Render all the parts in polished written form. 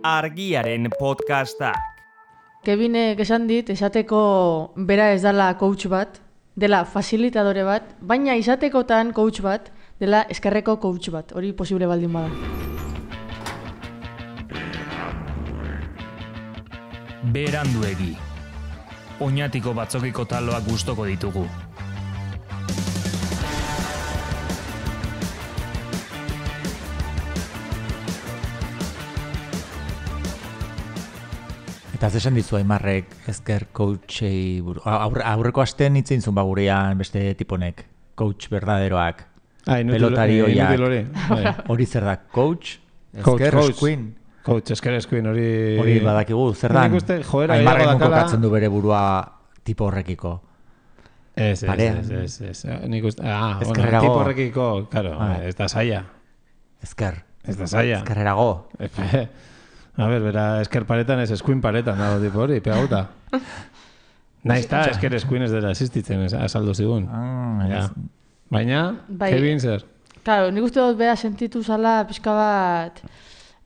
Argiaren podcastak. Kevinek esan dit, esateko bera ez dela coach bat, dela fasilitadore bat, baina izatekotan coach bat, dela eskerreko coach bat, hori posible baldin bada. Beranduegi. Oñatiko batzokiko taloak gustoko ditugu. Eta zesan dizu Aimarrek ezker coachei buru. Aurreko astean hitzen zuen gurean beste tiponek. Coach berdaderoak. Pelotarioiak. Hori zer da? Coach? Ezker eskuin? Coach, ezker eskuin hori... Hori badakigu, zer da? Aimarrek kokatzen du bere burua tipo horrekiko. Ez. Nik uste... tipo horrekiko, claro, ez da saia. Ezker. Ez da saia. Ezkerrerago. A ver, bera, esker paretan ez eskuin paretan dago tipo hori, pegauta. Naizta, esker eskuin ez dela existitzen, azaldu zigun. Baina, Kevin zer? Claro, nik uste dut beha sentitu zala pixka bat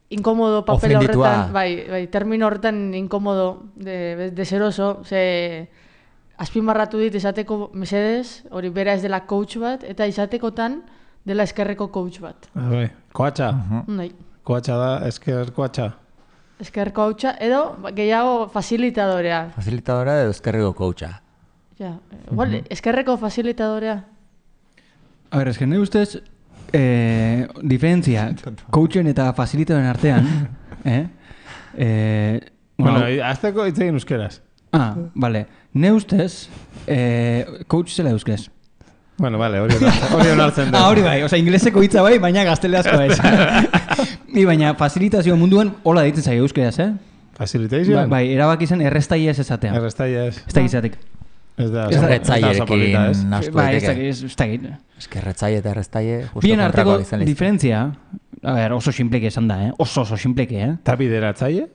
inkomodo papel horretan, bai, termino horretan inkomodo, deseroso, ze azpimarratu dit esateko mesedez, hori bera ez dela coach bat, eta izatekotan dela eskerreko coach bat. Koatxa? Nahi. Koatxa da, esker koatxa? Esker coacha edo gehiago fasilitadorea. Fasilitadorea edo eskerreko coacha. Ja, igual, eskerreko fasilitadorea. A ver, eske nire ustez, diferentzia coachen eta fasilitadoren artean, bueno, azteko hitz egin euskeraz. Vale. Nire ustez, coach zela euskez. Bueno, vale, hori onartzen dut. Hori bai, oza, ingleseko hitza bai, baina gazteleazko ez. Baina fasilitazio munduan hola deitzen zaio euskeraz, Facilitation? Bai, erabaki zen errestaia ez esatea. Errestaia ez. Ez da gizatik. Ez da erretzailerekin nastu daiteke. Ez da git. Ez que erretzaile eta errestaile bien arteko diferentzia, a ver, oso simpleke esan da, oso simpleke, Ta bideratzaile?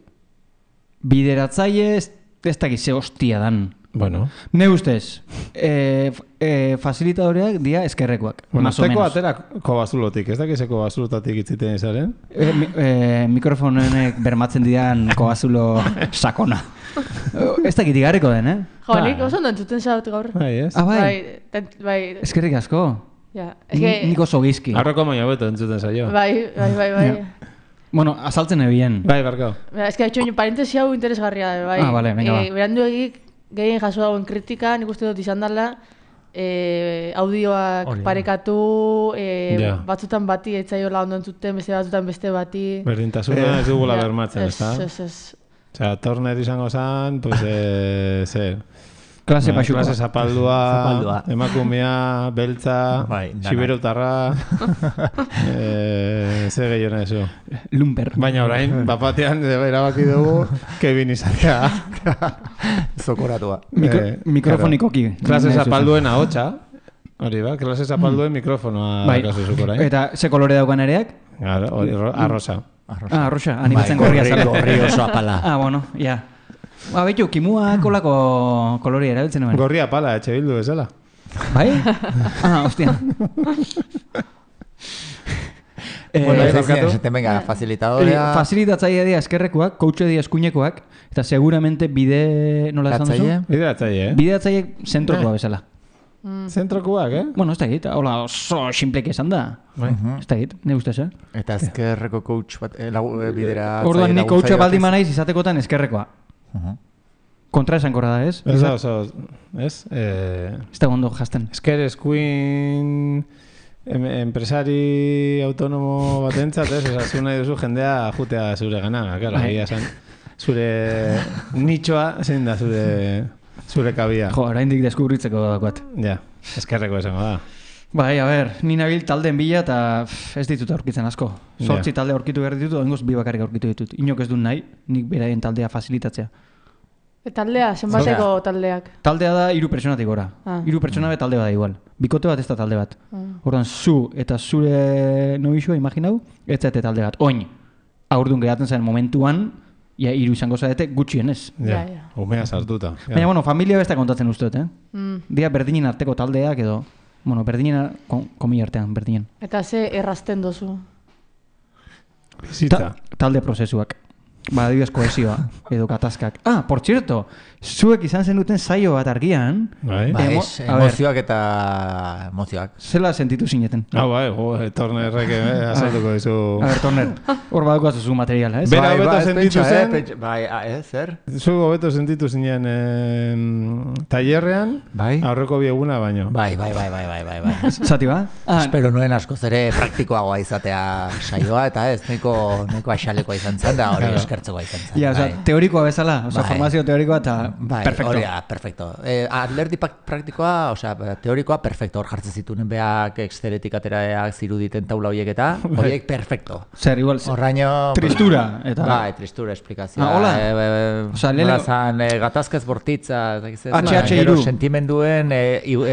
Bideratzaile ez da gize hostia dan. Bueno. Ne ustez, fasilitadoreak dia eskerrekoak. Bueno, zeko aterako bazulotik, ez dakizeko bazulotatik itziten izaren? Mikrofonenek bermatzen dian kobazulo sakona. Ez dakit igarriko den, Jo, nik oso ondo entzuten zaut gaur. Bai, ez? Bai. Eskerrik asko. Nik oso gizki. Arroko maino beto entzuten zaio. Bai. Bueno, azaltzen ebien. Bai, barkau. Ez que ha hecho parentesi hau interesgarria da, bai. Vale, venga, va. Beranduegik gehien jaso dagoen kritika, nik uste dut izan dela, audioak parekatu, batzutan bati etzaiola ondo entzuten, beste batzutan beste bati. Berdintasuna ez dugula bermatzen, ez da? Ez. Osea, Torner izango zen, pues, klase pasuko. Klase zapaldua, emakumea, beltza, siberotarra, ze gehiona eso. Lumper. Baina orain, bapatean, erabaki dugu, Kevin izatea. Zokoratua. Mikrofonikoki. Klase zapalduen ahotsa. Hori ba, klase zapalduen mikrofonoa kasu zuko orain. Eta ze kolore daukan ereak? Arrosa. Arrosa, animatzen gorria zara. Gorri oso apala. Bueno, ja. Betu, kimua kolako koloria erabiltzen nuen. Gorria apala, etxe bildu bezala. Bai? Hostia. Venga, facilitadorea... Facilitatzaia dia eskerrekoak, coache dia eskuinekoak, eta seguramente bide... Nola esan duzu? Bideratzaile, Bideratzaile zentrokoa bezala. Zentrokoak, Bueno, ez da egit, hola oso simpleke esan da. Ez da egit, ne ustez, Eta eskerreko coach bat, bideratzaile... Orduan, ni coacha baldin manaiz izatekotan eskerrekoa. Kontra esan korra da, ez? Ez da, ez? Ez da gondo jazten. Esker eskuin... Empresari autonomo batentzat, ez? Zu nahi duzu jendea jutea zure gana, claro, zure nitxoa zein da zure kabia. Jo, oraindik deskubritzeko dagoat. Ja, eskerreko esango da. Bai, a ber, ni nabil taldeen bila eta ez ditut aurkitzen asko. 8 talde aurkitu behar ditut, oingoz 2 bakarrik aurkitu ditut. Inok ez dut nahi, nik beraien taldea fasilitatzea. Taldea, zenbateko taldeak? Taldea da 3 pertsonatik gora. 3 pertsona bet talde bat da igual. Bikote bat ez da talde bat. Orduan, zu eta zure nobixua, imaginau, ez zaite talde bat. Oin, aurdun geratzen zen momentuan, ia 3 izango zaite gutxienez. Ja, umea sartuta. Baina, bueno, familia besta kontatzen uste dut, Dia berdinen arteko taldeak edo, bueno, berdinen, komi artean, berdinen. Eta ze errazten dozu? Bizitza. Talde prozesuak. adibidez kohesioa, edo gatazkak. Por cierto, zuek izan zenuten saio bat argian. Emozioak eta emozioak. Zela sentitu zineten? Tornerrek azalduko dizu. A ver, Torner, hor baduko azuzu materiala, ez? Bera hobeto sentitu zen. Zer? Zu hobeto sentitu zinen tailerrean, aurreko bieguna baino. Bai. Zati ba? Espero nuen askoz ere praktikoagoa izatea saioa, eta ez, neko aixalekoa izan zen, da hori eskertzekoa izan zen. Ja, teorikoa bezala, formazio teorikoa eta perfecto. Perfecto. Alderdi praktikoa, teorikoa, perfecto. Hor jartzen zituen beak exceretik ateraak ziruditen taula horiek eta horiek perfecto. Zer, igual, tristura. Bai, tristura, esplikazioa. Nola zan, gatazkaz bortitza, HH2. Sentimenduen,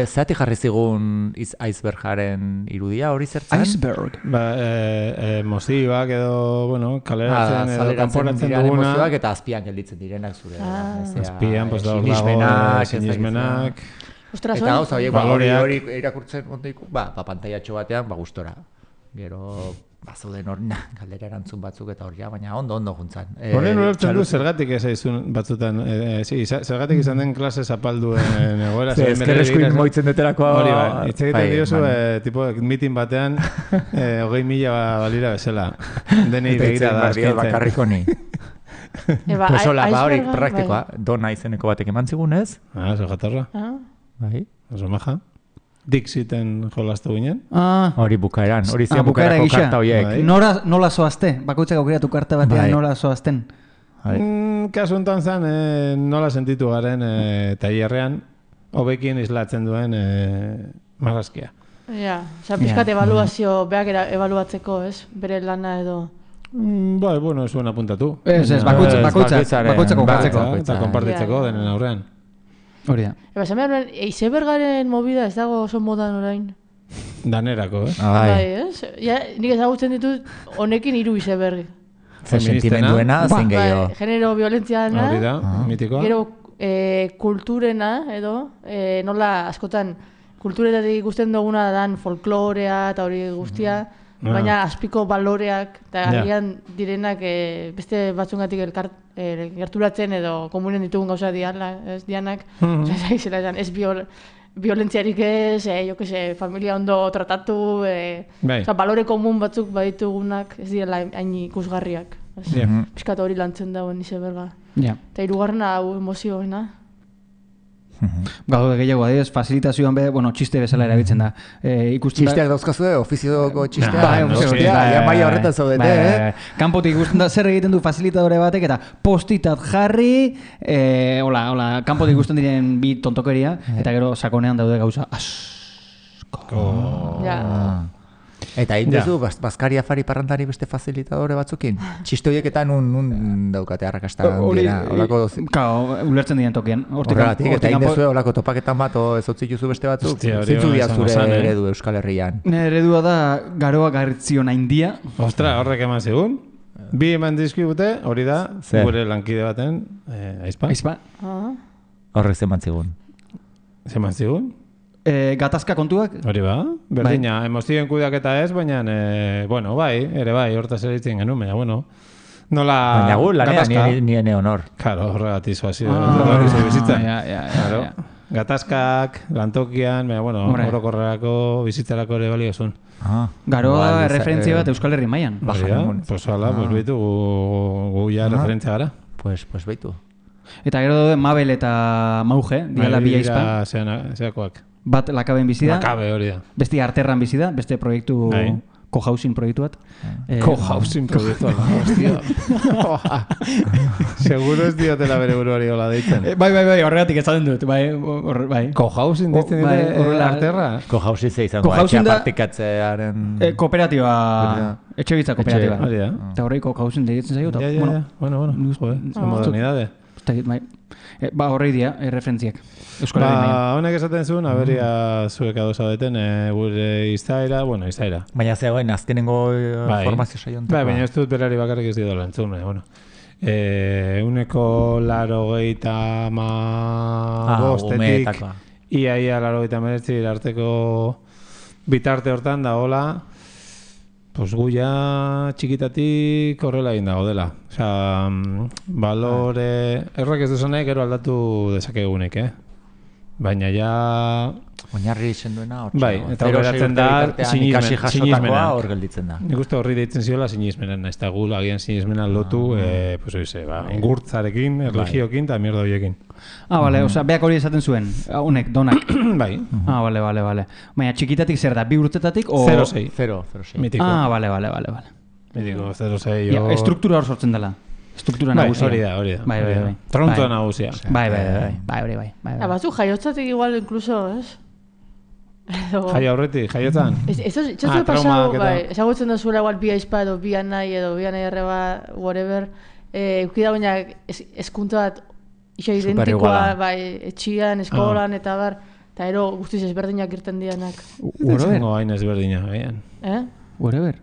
zeatik jarri zigun icebergaren irudia hori zertzen? Iceberg. Mozioak edo, kaleratzen edo kanporatzen duguna. Mozioak eta azpian gelditzen direnak zure. Azpian, pues dago sinismenak. Ostras, eta gauza, hori irakurtzen ondoiku, pantaiatxo batean, gustora. Gero, zauden hori, galdera erantzun batzuk eta hori, baina ondo juntzan. Horren ulertzen du, zergatik ez aizun batzutan, zergatik izan den klase zapalduen egoera. Ezkerrezkoin moitzen deterakoa. Hori bai, itzegiten diozu, tipo, mitin batean, 20.000 balira bezala. Denei begira da. Bakarrik honi. Pues hola, hori praktikoa, dona izeneko batek eman zigun ez? Zo jatarra. Bai. Oso maja. Dixiten jolaztu ginen. Hori bukaeran, hori zian bukaerako karta horiek. Nola zoazte? Bakoitzak aukiratu karta batean nola zoazten? Kasu enten zen, nola sentitu garen tailerrean hobekin islatzen duen marrazkia. Ja, pixkat evaluazio, beak evaluatzeko, ez? Bere lana edo... Bai, ez zuen apuntatu. Ez, bakoitzak konpartzeko. Eta konpartitzeko denen aurrean. Hori da. Esan behar, icebergaren movida ez dago oso modan orain. Danerako, ez? Bai, ez? Nik ezagutzen ditut honekin 3 iceberg. Sentimenduena, zein gehiago. Genero violentziana. Hori da, mitikoa. Gero kulturena, edo, nola askotan kulturetatik ikusten duguna dan folklorea eta hori guztia, baina azpiko baloreak eta agian direnak beste batzungatik gerturatzen edo komunen ditugun gauza dianak, ez violentziarik ez, familia ondo tratatu, balore komun batzuk baditugunak ez direla hain ikusgarriak. Piskat hori lantzen dauen izeberga. Eta 3. hau emozioena. Gaude gehiago adibidez, fasilitazioan txiste bezala erabiltzen da. Txisteak dauzkazue, ofizioko txisteak. Maia horretan zaudete, Kanpotik ikusten da, zer egiten du fasilitadore batek eta postitat jarri, kanpotik ikusten diren bi tontokeria, eta gero sakonean daude gauza asko. Eta duzu, Baskari Afari parrandari beste fasilitadore batzukin? Txiste horiek eta nun daukate arrakasta dira? Ulertzen diren tokian. Horregatik, eta duzu olako topaketan bat, ez otzik juzu beste batzuk? Zintzu dia zure eredu Euskal Herrian? Eredua da Garoa Garritzion Aindia. Ostra, horrek eman zigun. Bi eman dizkibute, hori da, gure lankide baten, Aizpa. Horrek zeman zigun. Zeman zigun? Gatazka kontuak? Hori ba, berdina, emozioen kudeaketa ez, baina, ere bai, hortaz eritzen genuen, baina, nola... Baina gu, lanean nien honor. Karo, horregatik zoazio, horregatik bizitza. Gatazkak, lantokian, baina, orokorrerako, bizitzarako ere balio zuen. Garoa referentzia bat Euskal Herri mailan. Pues hala, behitu, gu ja referentzia gara. Pues behitu. Eta gero daude Mabel eta Mauge, diala bi aizpan. Zeakoak. Bat lakaben bizi da. Lakabe hori da. Beste arterran bizi da, beste proiektu co-housing proiektu bat. Co-housing proiektu bat, hostia. Seguro ez diotela bere buruari hola deitzen. Bai, horregatik ezaten dut. Bai. Co-housing deitzen dute arterra? Co-housing ze izango, etxea partikatzearen... Kooperatiba, etxe bitza kooperatiba. Hori da. Eta horrei co-housing deitzen zaio. Bueno, modernidade. Horrei dia, referentziak. Honek esaten zuen, aberia zuek adosa deten, gure izaera. Baina zegoen, azkenengo formazio saiontakoa. Bai, baina ez dut berari bakarrik ez dira lantzun, uneko 85 ia 89 arteko bitarte hortan da, hola, pues guia txikitatik horrela egin dago dela. Osea, balore... Errak ez duzanek, gero aldatu dezakegunek, Baina ja... Oinarri izen duena, bai, eta horrelatzen da sinismena. Hor gelditzen da. Nik uste horri deitzen ziola sinismena, ez da gu agian sinismena lotu, pues oize, ongurtzarekin, erligioekin, eta mierda horiekin. Bale, osea, beak hori esaten zuen, honek, donak. Bai. Bale. Baina txikitatik zer da, 2 urtetatik, o... 0-6. 0-6. Mitiko. Bale. Mitiko, 0-6. Ja, estruktura hor sortzen dela. Estruktura nagusia. Hori da. Bai. Trontoa nagusia. Bai, hori. Batzu jaiotzatik igual, incluso, ez? Jaio aurretik, jaiotan? Ez du pasau, ezagutzen da zuela igual bi aizpa edo bi anai edo bi anai erreba, whatever, eukida baina eskunta bat iso identikoa, etxian, eskolan, eta bar, eta ero guztiz ezberdinak irten dianak. Zengo hain ezberdinak, baian. Whatever.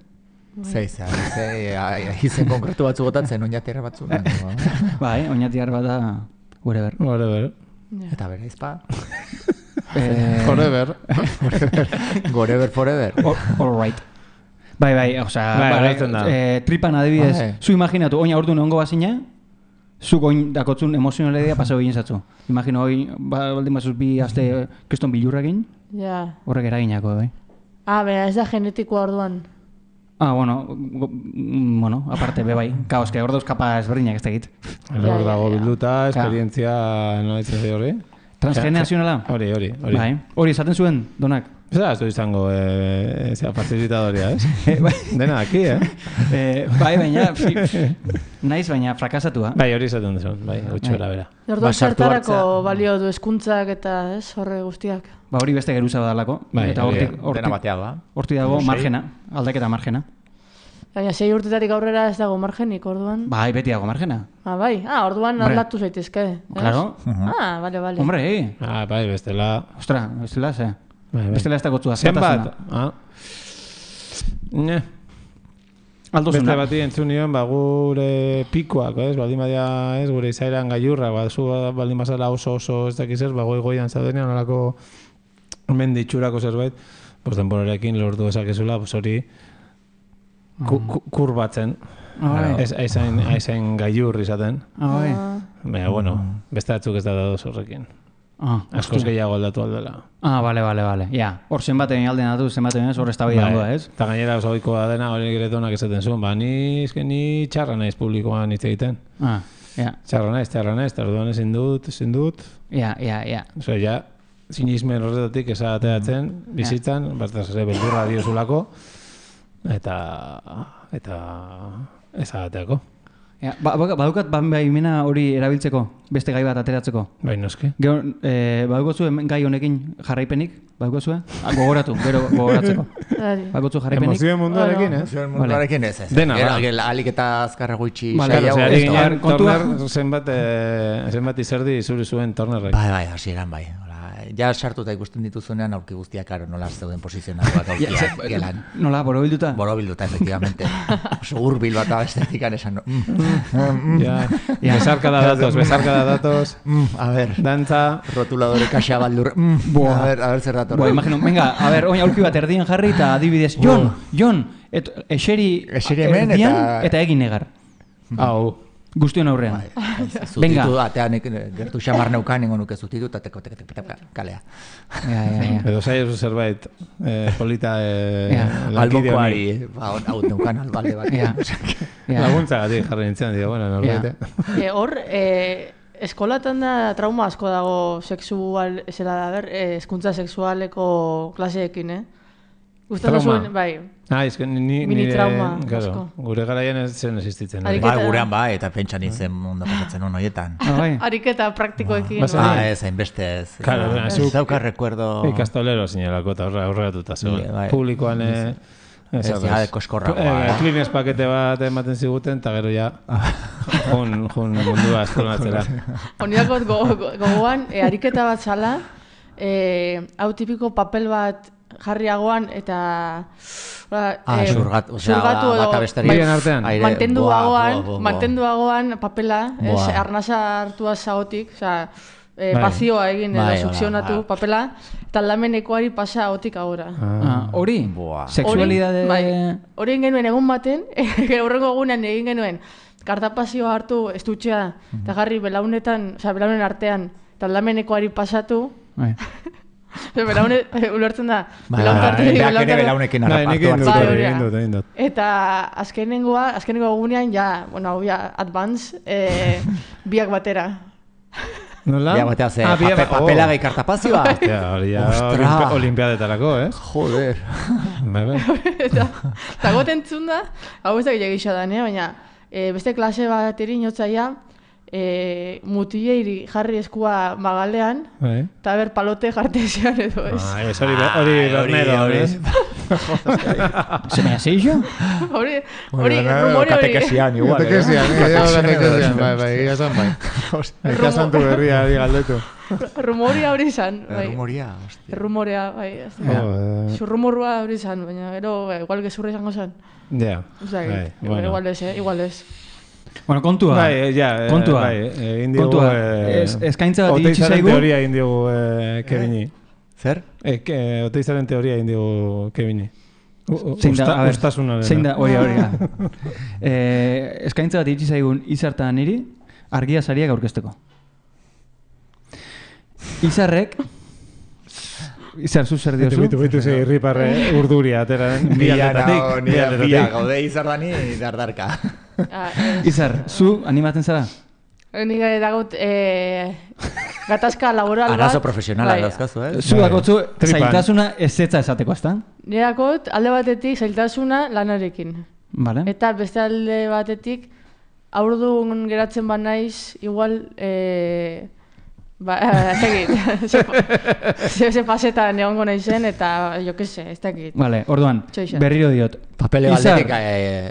Izen konkretu batzu botatzen, oinatiarra batzu. Bai, oinatiarra bat da, whatever. Eta bera izpa. Forever. Forever. All right. Bai, osea, tripan adibidez, zu imaginatu, oina ordu neongo bazina, zuk oin dakotzun emozionalidea pasau egin zatzu. Imagino, oin, baldin bazuz bi aste kriston bilurrekin, horrek eraginako, bai. Bera, ez da genetikoa orduan. Bueno, aparte, bai, kaos, que hor dauz kapa ezberdinak ez tegit. Hor dago bilduta, esperientzia, no ditzen zi horri? Transgeneracionala? Hori. Bai, hori esaten zuen, donak? Ez du izango, partizitadoria, ez? Dena aquí, Bai, baina, naiz, baina frakasatua. Bai, hori esaten duzun, bai, gutxora bera. Orduan zertarako balio du eskuntzak eta, ez, horre guztiak. Hori beste geruza badalako. Eta dena batea da. Hortik dago margena, aldaketa margena. Baina 6 urtetarik aurrera ez dago margenik, orduan? Bai, beti dago margena. Bai, orduan aldatu zaitezke. Claro. Bale. Hombre, bai, bestela... Ostra, bestela, ze? Bestela ez dagotzua. Zenbat? Aldozuna. Beste bati entzun nion, gure pikoak, baldin badia, gure izairan gaiurra, zu baldin bazala oso ez dakiz ez, goian zaudenean, nolako menditxurako zerbait, denborarekin lortu ezakezula, hori kurbatzen, aizain gaiur izaten. Baina, bueno, beste batzuk ez da dadoz horrekin. Askoz gehiago aldatu aldela. Bale. Ja, hor zenbaten alden atu, zenbaten ez, hor ez da bai dagoa, ez? Eta gainera oso oikoa dena, hori giretonak esaten zuen, ni txarra naiz publikoan hitz egiten. Txarra naiz, eta orduan ezin dut. Ja. Oso, ja, sinismen horretatik esateatzen, bizitzan, bataz ere beldurra diozulako, eta esateako. Badukat baimena hori erabiltzeko, beste gai bat ateratzeko. Bai, noski. Badukotzu gai honekin jarraipenik, badukotzu, gogoratu, gero gogoratzeko. Badukotzu jarraipenik. Emozioen munduarekin, ez? Emozioen munduarekin ez. Dena, alik eta azkarra guitxi. Zenbat izerdi zuri zuen Turnerrek. Bai, hasi eran bai. Ja sartuta ikusten dituzunean aurki guztiak, nola zeuden posizionatuak aurkiak gelan. Nola, borobilduta? Borobilduta, efectivamente. Oso urbil bat abestetikan esan. Besarka da datos. A ver. Dantza. Rotuladore kaxa baldur. A ver, zer dator. Imagino, venga, a ver, oin aurki bat erdien jarri eta adibidez, Jon, eseri hemen eta egin negar. Hau. Guztion aurrean. Zutitu atean gertu xamar neukan ingo nuke zutitu eta kalea. Edo saiozu zerbait polita albokoari hau neukan albale bat. Laguntza gati jarri nintzen, bueno, norbait. Hor, eskolatan da trauma asko dago sexual, hezkuntza sexualeko klaseekin, Gustatu zuen, bai. Mini trauma asko. Gure garaian ez zen existitzen. Gurean eta pentsan izen ondo pasatzen hon horietan. Ariketa praktikoekin. Ez, hainbeste ez. Zauka recuerdo... Ikastolero zinelako eta horregatuta zegoen. Publikoan... Ez ja, koskorra. Klines pakete bat ematen ziguten, eta gero ja jun mundua eskolatzera. Honiakot gogoan, ariketa bat zala, hau tipiko papel bat jarriagoan eta xurgatu edo mantenduagoan papela, arnasa hartua zagotik, Pazioa egin edo sukzionatu papela, eta lamenekoari pasa otik agora. Hori? Sexualidade... Hori egin genuen egun baten, horrengo egunean egin genuen, kartapazioa hartu estutxea, eta garri belaunen artean, eta lamenekoari pasatu, ulertzen da. Belaunekin hartu. Eta azkenengo egunean, advance, biak batera. Nola? Bia batea ze, papelagai kartapazioa. Hori olimpiadetarako, Joder. Eta goten zunda, hau ez da gila da, baina beste klase bat inotzaia, mutileiri jarri eskua magalean, eta ber palote jartezean edo ez. Hori bernedo, ez? ¿Se me hace yo? Hori rumore hori. Katekesian, igual. Katekesian, bai, ikasan tu berria hori galdetu. Rumoria hori izan. Rumoria, hostia. Rumorea, bai. Zurrumorua hori izan, baina gero, igual gezurra izango zen. Ja. Igual ez. Bueno, kontua. Kontua. Eskaintza bat itxi zaigu. Oteizaren teoria indigu Kevini. Zer? Oteizaren teoria indigu Kevini. Zein da, hori. Eskaintza bat itxi zaigun Izarta niri, argia sariak aurkezteko. Izar, zu zer diozu? Bitu zei irriparre urduria, atera biatatik. Bia, gaude Izardani dardarka. Izar, zu animatzen zara? Nik dagot gatazka laboral bat. Arazo profesionala dauzkazu, Zu dakotzu zailtasuna ezetza esateko, ezta? Nik dakot alde batetik zailtasuna lanarekin. Vale. Eta beste alde batetik aurdun geratzen ba naiz, igual... Ze pasetan egongo naizen eta jo que se, ez dakit. Vale, orduan, berriro diot. Papele baldetik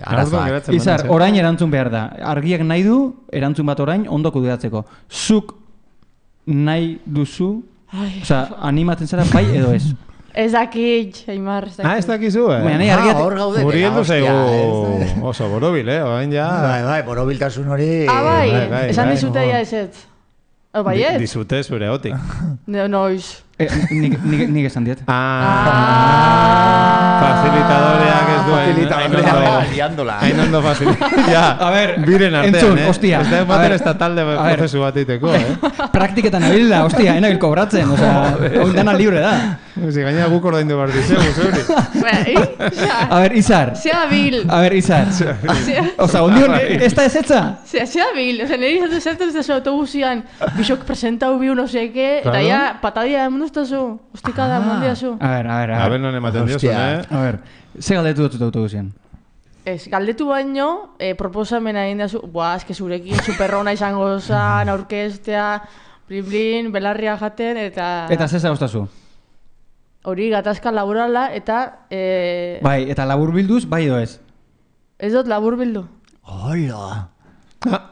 arazoak. Izar, orain erantzun behar da. Argiak nahi du, erantzun bat orain, ondo kudeatzeko. Zuk nahi duzu, oza, animatzen zara bai edo ez? Ez dakit, Aimar, ez dakit. Ez dakizu, Hor gaude. Guri heldu zaigu oso borobil, orain ja. Bai, borobiltasun hori. Bai, esan dizute ja ez ez. Bai ez? Dizute zure hotik. Noiz. Nik esan diet. Facilitadoreak ez duen. Hain ondo facilitadoreak. A ver, biren artean, entzun, hostia. Ez da ematen ez da talde prozesu bat iteko, Praktiketan abilda, hostia, enabil kobratzen. Oin dana libre da. Si gaina guk ordaindu behar dizegu, zeuri. A ver, Izar. Zea bil. A ver, Izar. Osa, ondion, ez da ezetza? Zea bil. Osa, niri zertu ez da autobusian, bisok presentau biu no seke, eta ya patadia emunuztazu. Ostika da, mundiazu. A ver, non ematen diozun, A ver, ze galdetu dut autobusian? Ez, galdetu baino, proposamena egin dazu, eske zurekin superrona izango zan, aurkestea, blin, belarria jaten, eta... Eta ze zauztazu? Hori gatazka laborala, eta... Bai, eta labur bilduz, bai edo ez? Ez dut labur bildu. Hola!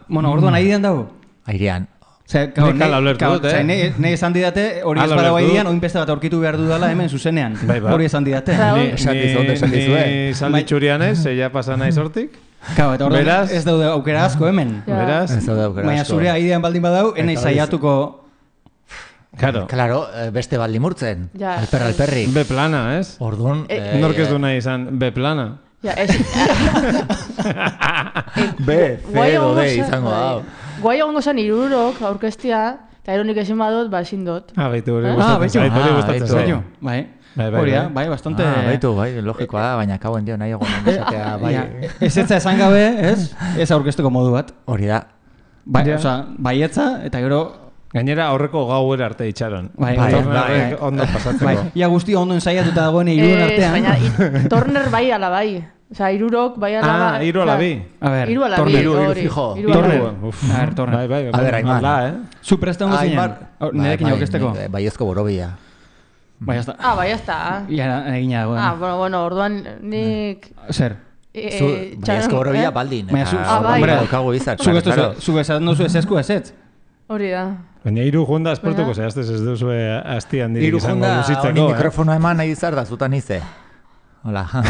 Bueno, orduan aidean dago? Airean. Nei esan didate, hori ez badago aidean, oin beste bat aurkitu behar dudala hemen zuzenean. Hori esan didate. Ni salditxurian ez, ja pasa naiz hortik. Kau, eta orduan ez daude aukera asko hemen. Beraz? Baina zure aidean baldin badau, enai zaiatuko... Claro, beste baldi murtzen. Alperri. B plana, ez? Orduan... Nork ez du nahi izan B plana. B, C edo D izango hau. Guai egongo zen irurok aurkestia, eta eronik ezin badot, ezin dut. Baitu, hori gustatzen zaio. Bai, bastante... Baitu, logikoa da, baina kauen dio nahi egon esatea, bai. Ez etza esan gabe, ez? Ez aurkesteko modu bat. Hori da. Baietza, eta gero... Gainera aurreko gauera arte itxaron. Bai. Ondo pasatzeko. Ia guzti ondo ensaiatuta dagoen iruen artean. Baina, Torner bai ala bai. Osa, irurok bai ala bai. Iru ala bi. A ver, iru ala bi. Iru fijo. Torner. A ver, Torner. Bai. A ver, Aimar. Zu presta hongo zinen? Nerekin aurkesteko? Baiezko borobia. Bai, hasta. Bai, hasta. Ia, egina dagoen. Bueno, orduan nik... Zer? Baiezko borobia baldin. Bai. Zu esan duzu ez esku ezetz? Hori da. Baina iru jonda esportuko zehaztez ez duzu asti handirik izango luzitzeko. Iru jonda, honi mikrofono eman nahi izar da, zutan ize. Hola. A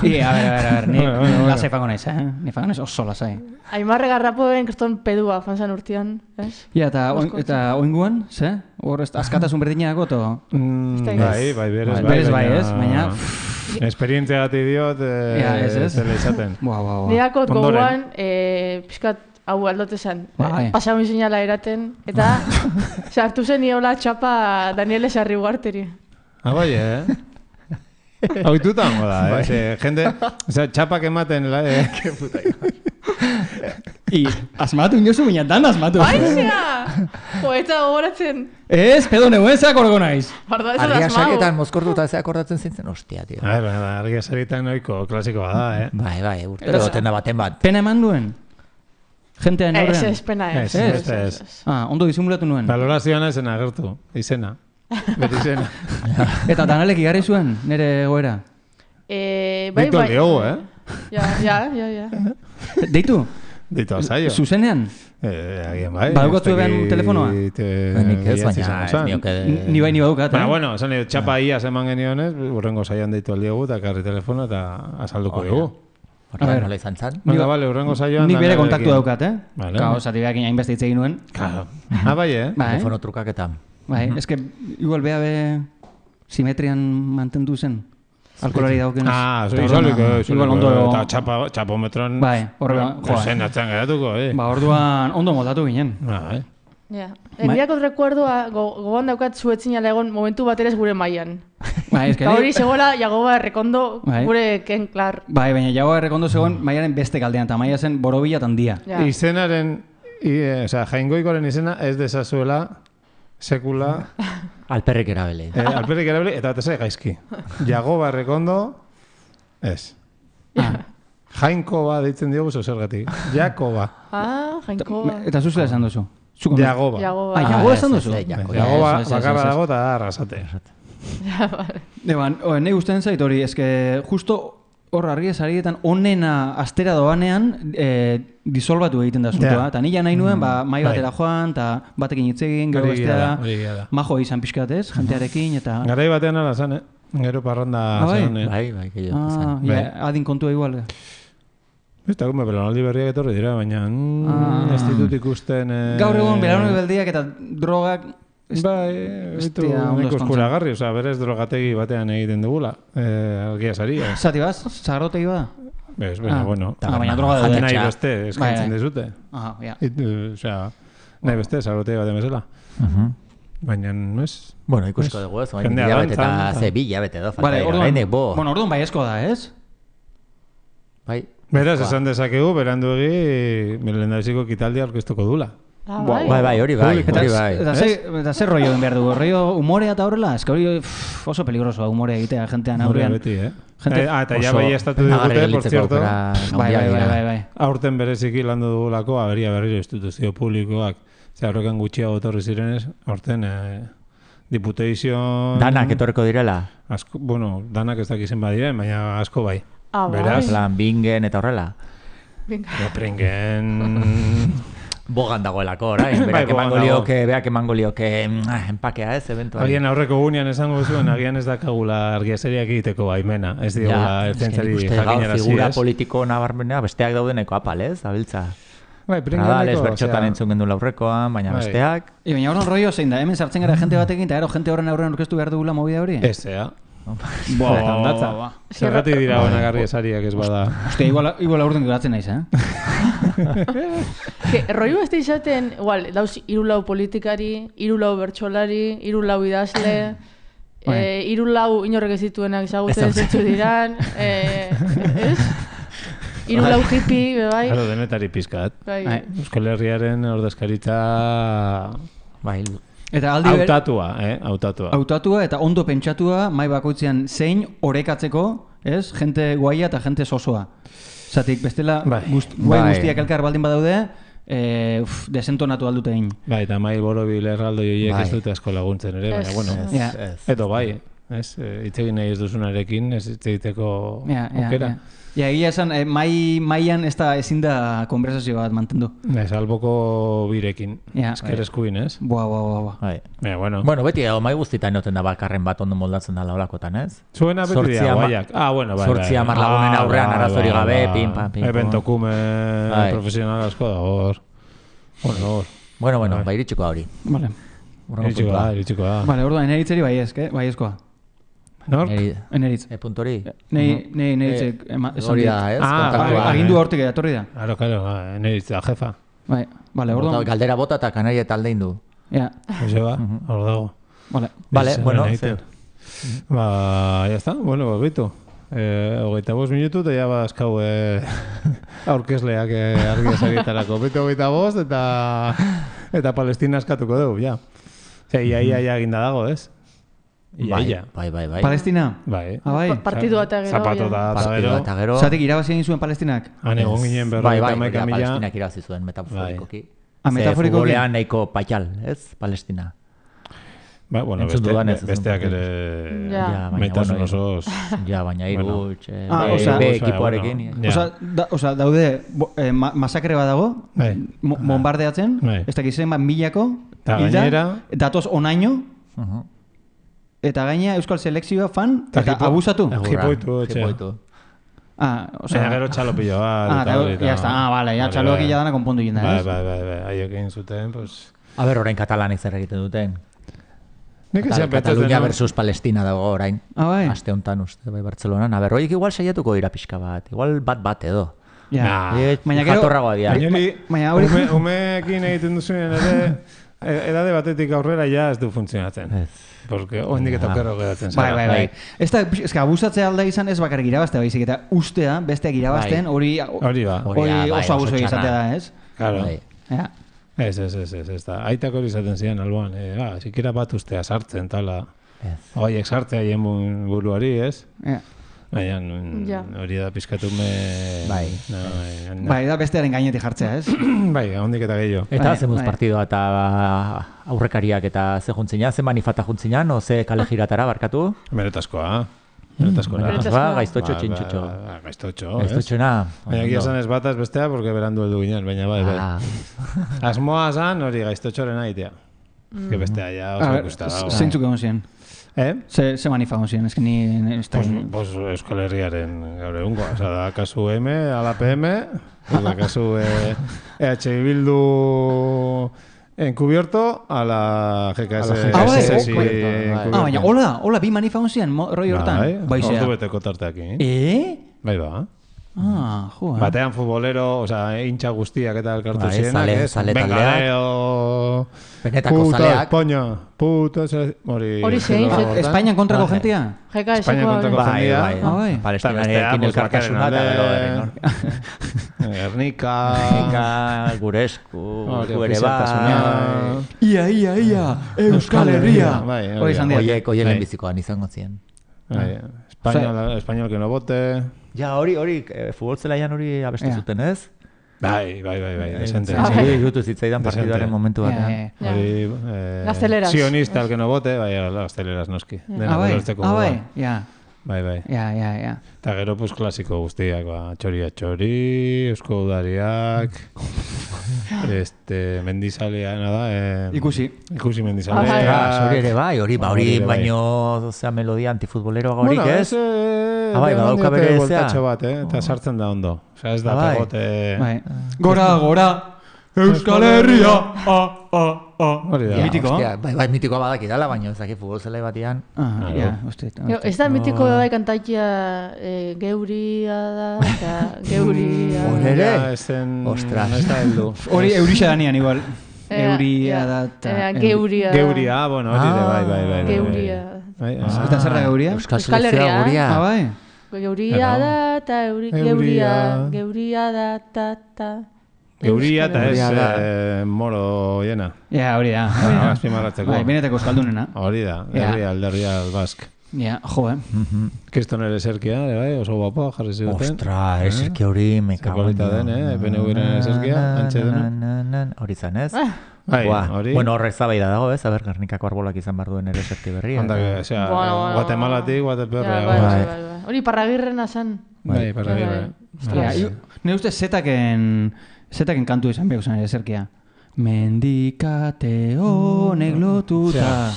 ver, ni lasai fango naiz, Ni fango naiz oso lasai. Aimarre garrapoen kriston pedua fanzan urtean, ez? Ja, eta oinguan, ze? Hor askatasun berdina dago, to? Bai, berez bai, ez? Baina... Esperientzia gati diot, zela izaten. Nirakot goguan, pixkat hau aldote zen. Pasaun zinala eraten, eta sartu zen niola txapa Daniele Sarri Ugarteri. Bai, Hauituta hongo da, jende, txapak ematen, que puta asmatu inozu, baina dan asmatu. Baizea! Eta gogoratzen. Ez, pedo neuen zeak orgo naiz. Argia saketan mozkortuta ez akordatzen zintzen, ostia, tio. Argia saketan noiko klasikoa da, Bai, urtero goten da baten bat. Pena eman duen? Gentean horrean? Ez, pena ez. Ondo disimulatu nuen. Valorazioan ezen agertu, izena. Beti izena. Eta Danalek igarri zuen, nire goera? Deitu aldiogu, Ja. Deitu? Deitu alzaio. Zuzenean? Agian bai. Badukatu ebean telefonoa? Nik ez, baina ez nioke... Ni bai badukat, Baina, bueno, esan nio, txapa iaz eman genionez, urrengo zaian deitu aldiogu, eta karri telefono, eta azalduko dugu. A ver, nola izan zan? Urrengo zaioan... Nik bere kontaktu daukat, Vale. Zati behak hainbeste hitz egin nuen. Bai, Telefono trukaketan. Bai, eske igual beha simetrian mantendu zen. Alkolari daukenez. Igual ondo... Eta txapometron... Bai, horrean... Josen atzen geratuko, orduan ondo moldatu ginen. Bai. Nirakot rekuerdua gogoan daukat zuetzinala egon momentu baterez gure mailan. Bai, eske... Hori zegoela Jagoba Errekondo gure ken klar. Bai, baina Jagoba Errekondo zegoen mailaren beste kaldean, eta maila zen Borobila tandia. Izenaren... Jaingoikoren izena ez dezazuela... Sekula... Alperrik erabele. Alperrik erabele eta bat ezai gaizki. Jagoba Errekondo... Ez. Jainkoba deitzen diogu zergatik. Jakoba. Jainkoba. Eta zuzela esan duzu? Jagoba. Jagoba esan duzu? Jagoba bakarra dago eta arrasate. Nahi guztien zait hori, eske justo hor argi esarietan onena astera doanean disolbatu egiten da zutua. Eta nila nahi nuen, mai batera joan, eta batekin hitz egin, gero bestea majo izan pixkat ez, jentearekin, eta... Garai batean ala zan, gero parranda zen. Bai, gehiago. Adin kontua igual. Ez da, belanaldi berriak etorri dira, baina ez ditut ikusten... Gaur egun belanaldi berriak eta drogak... Bai, neko eskuragarri, berez drogategi batean egiten dugula, argia saria. Zati baz? Zagarrotegi bada? Ez, bueno. Baina droga da nahi beste, eskaintzen dizute. Nahi beste, zagarrotegi batean bezala. Baina, no ez? Bueno, ikusko dugu ez, baina hilabete eta hilabete edo, falta dira. Orduan bai esko da, ez? Bai. Beraz, esan dezakegu, beranduegi, lehendabiziko kitaldia orkestuko dula. Bai, hori bai. Eta zer rollo den behar dugu? Rollo humorea eta horrela? Ez que hori oso peligrosoa humorea egitea jentean aurrean. Beti, Eta ja bai estatu digute, por cierto. Bai. Aurten bereziki landu dugulako, aberia berriro instituzio publikoak. Horrekan gutxiago etorri zirenez, aurten Diputazioan... Danak etorreko direla? Bueno, danak ez dakizen badiren, baina asko bai. Beraz? Plan, bingen eta horrela? Bingen... Bogan dagoelako, orain. Beak emango lioke empakea ez, eventuali. Agian aurreko gunean esango zuen, agian ez dakagula argiazeriak egiteko baimena. Ez digula ertzentzari jakinarazi ez. Figura politiko nabarmenea besteak daudeneko apal ez, abiltza. Nadales bertxotan entzun gendu laurrekoan, baina besteak... Baina horren rollo zein da, hemen sartzen gara jente batekin, eta jente horren aurrean orkestu behar dugula movida hori? Ez, Zergatik dira honak argiazariak ez bada. Ostia, igual aurten geratzen naiz, Rollo ez da izaten, dauz irulau politikari, irulau bertsolari, irulau idazle, irulau inorrek ez dituenak ezagutzen zentzu diran, ez? Irulau hippie, bai? Halo, denetari pizkat. Euskal Herriaren ordezkaritza... Bai, Hautatua eta ondo pentsatua mai bakoitzean zein orekatzeko, ez? Jente guaia eta jente sosoa. Zatik, bestela guai guztiak elkar baldin badaude, desentonatu aldute egin. Bai, eta mai borobil erraldo joiek ez dute asko laguntzen ere, baina, bueno, edo bai. Itzegin nahi ez duzunarekin, ez itzegiteko aukera. Ja, egia esan, maian ezin da konversazio bat mantendu. Ez, alboko birekin, esker eskuin, ez? Boa. Bueno, beti mai guztietan inoten da bakarren bat ondo moldatzen da olakotan, ez? Zuena beti dira, guaiak. Bai. 10 lagunen aurrean arazori gabe, pim. Eventokume profesional asko da, hor. Bueno, iritsiko hori. Vale. Iritsiko da. Vale, orduan, eneritzeri baiezkoa. Nork? Eneritz. Puntori? Nei eneritzek. Hori da, ez? Agindu hortik edatorri da. Claro, eneritz da, jefa. Vale, orduan. Galdera bota eta kanaria talde indu. Ja. Ose ba, hor dago. Vale, bueno. Ya está, bueno, bitu. 25 minutu eta ya bazkau aurkezleak argi esagitarako. Bitu 25 eta Palestina eskatuko dugu, ja. Ia eginda dago, ez? Bai. Palestina? Bai. Partidua eta gero. Zapatota eta gero. Zatik irabazi egin zuen Palestinak? Egon ginen berroita maika mila. Palestinak irabazi zuen, metaforikoki. Metaforikoki? Futbolean nahiko paial, ez? Palestina. Bueno, besteak ere metasun osoz. Ja, baina irutx, B ekipoarekin. Osa, daude, masakre bat dago, bombardeatzen, ez dakizen, milako, datoz onaino, eta gaina Euskal Selekzioa fan, eta abusatu. Jipoitu. Gero txalopillo bat. Ya está, vale, ya txalopillo dana konpondu jinda, ez? Bai, haiek egin zuten, pues... A ber, orain katalanek zer egiten duten. Katalunia versus Palestina dago orain. Bai. Aste honetan uste, bai, Bartzelonan. A ber, horiek igual saiatuko dira pixka bat. Igual bat edo. Baina jatorragoa dira. Umeekin egiten duzunen ere, edade batetik aurrera ja ez du funtzionatzen. Porque oindik eta okerro geratzen zara. Bai. Ez da, abusatzea alda izan ez bakarrik irabaztea baizik, eta ustea, besteak irabazten, hori oso abuso izatea da, ez? Claro. Ez da. Aitak hori izaten zian alboan. Sikera bat ustea sartzen, tala. Oiek sartzea hien buruari, ez? Baina hori da pizkatume... Bai, da bestearen gainetik jartzea, ez? Bai, hondik eta gehiago. Eta zemuz partidoa eta aurrekariak eta ze juntzina, ze manifata juntzina, o ze kale giratara barkatu? Meretazkoa. Gaiztotxo txintxotxo. Gaiztotxona. Baina egia zan ez bat ez bestea, porque berandu heldu ginen, baina bai. Asmoa zan hori gaiztotxoren aitea. Que bestea ja oso ikusta dago. Zeintzuk egon ziren? Ze manifa egon ziren, ez que ni... Pues Euskal Herriaren gaur egungo. Osa da, kasu M, ala PM, da kasu EH Bildu... Encubierto a la GKS. Baina, hola, bi manifa onzian, roi hortan. Ordu beteko tarteak. Bai ba. Joa. Batean futbolero, hintxa guztiak eta elkartu zienak, ez? Bengaleo... Benetako zaleak. Puto, hori zein. Espainian kontrako jentia? Espainian kontrako jentia. Palestinarekin elkartasuna eta gero Gernika, Guresku, ere bat. Ia, Euskal Herria. Oiek lehenbizikoan izango ziren. Español que no vote. Ja, hori, futbol zelaian hori abestu zuten, ez? Bai, desente. Jutu zitzaidan partiduaren momentu batean. Gazteleras. Sionista el que no vote, bai, gazteleras noski. Bai, Bai. Ja. Eta gero, pues, klasiko guztiak, txori, eusko udariak, mendizalea, nada, Ikusi mendizalea. Hori ere bai, hori baino, melodia antifutbolero horik, ez? Badauka bere voltatxo bat, eta sartzen da ondo. Osa, ez da pegote... Gora, Euskal Herria, Hori da. Mitikoa? Bai, mitikoa badaki dala, baina ez daki futbol zelai batian. Ez da mitiko bai kantaikia geuria da, eta geuria... Horere? Ostras. Ez da heldu. Hori eurixa danian igual. Euria da, eta... Geuria, bueno, hori de, bai. Geuria. Eta zerra geuria? Euskal Herria guria. Bai. Geuria da, eta geuria da, ta. Euria eta ez moro jena. Ja, hori da. Azpimarratzeko. Benetako euskaldunena. Hori da, alderria bask. Ja, jo, Kriston ere eserkia, bai, oso guapo, jarri ziguten. Ostra, eserkia hori mekagoen. Zapolita den, PNV-ren eserkia, antxe dena. Hori zan, ez? Hori. Bueno, horrek zabaida dago, ez? Aber, Gernikako arbolak izan behar duen ere eserki berria. Guatemalatik, Guateperrea. Hori Parragirrena zen. Bai, Parragirre. Ne uste zetaken kantu izan behar zen eserkia. Mendikate honek lotuta.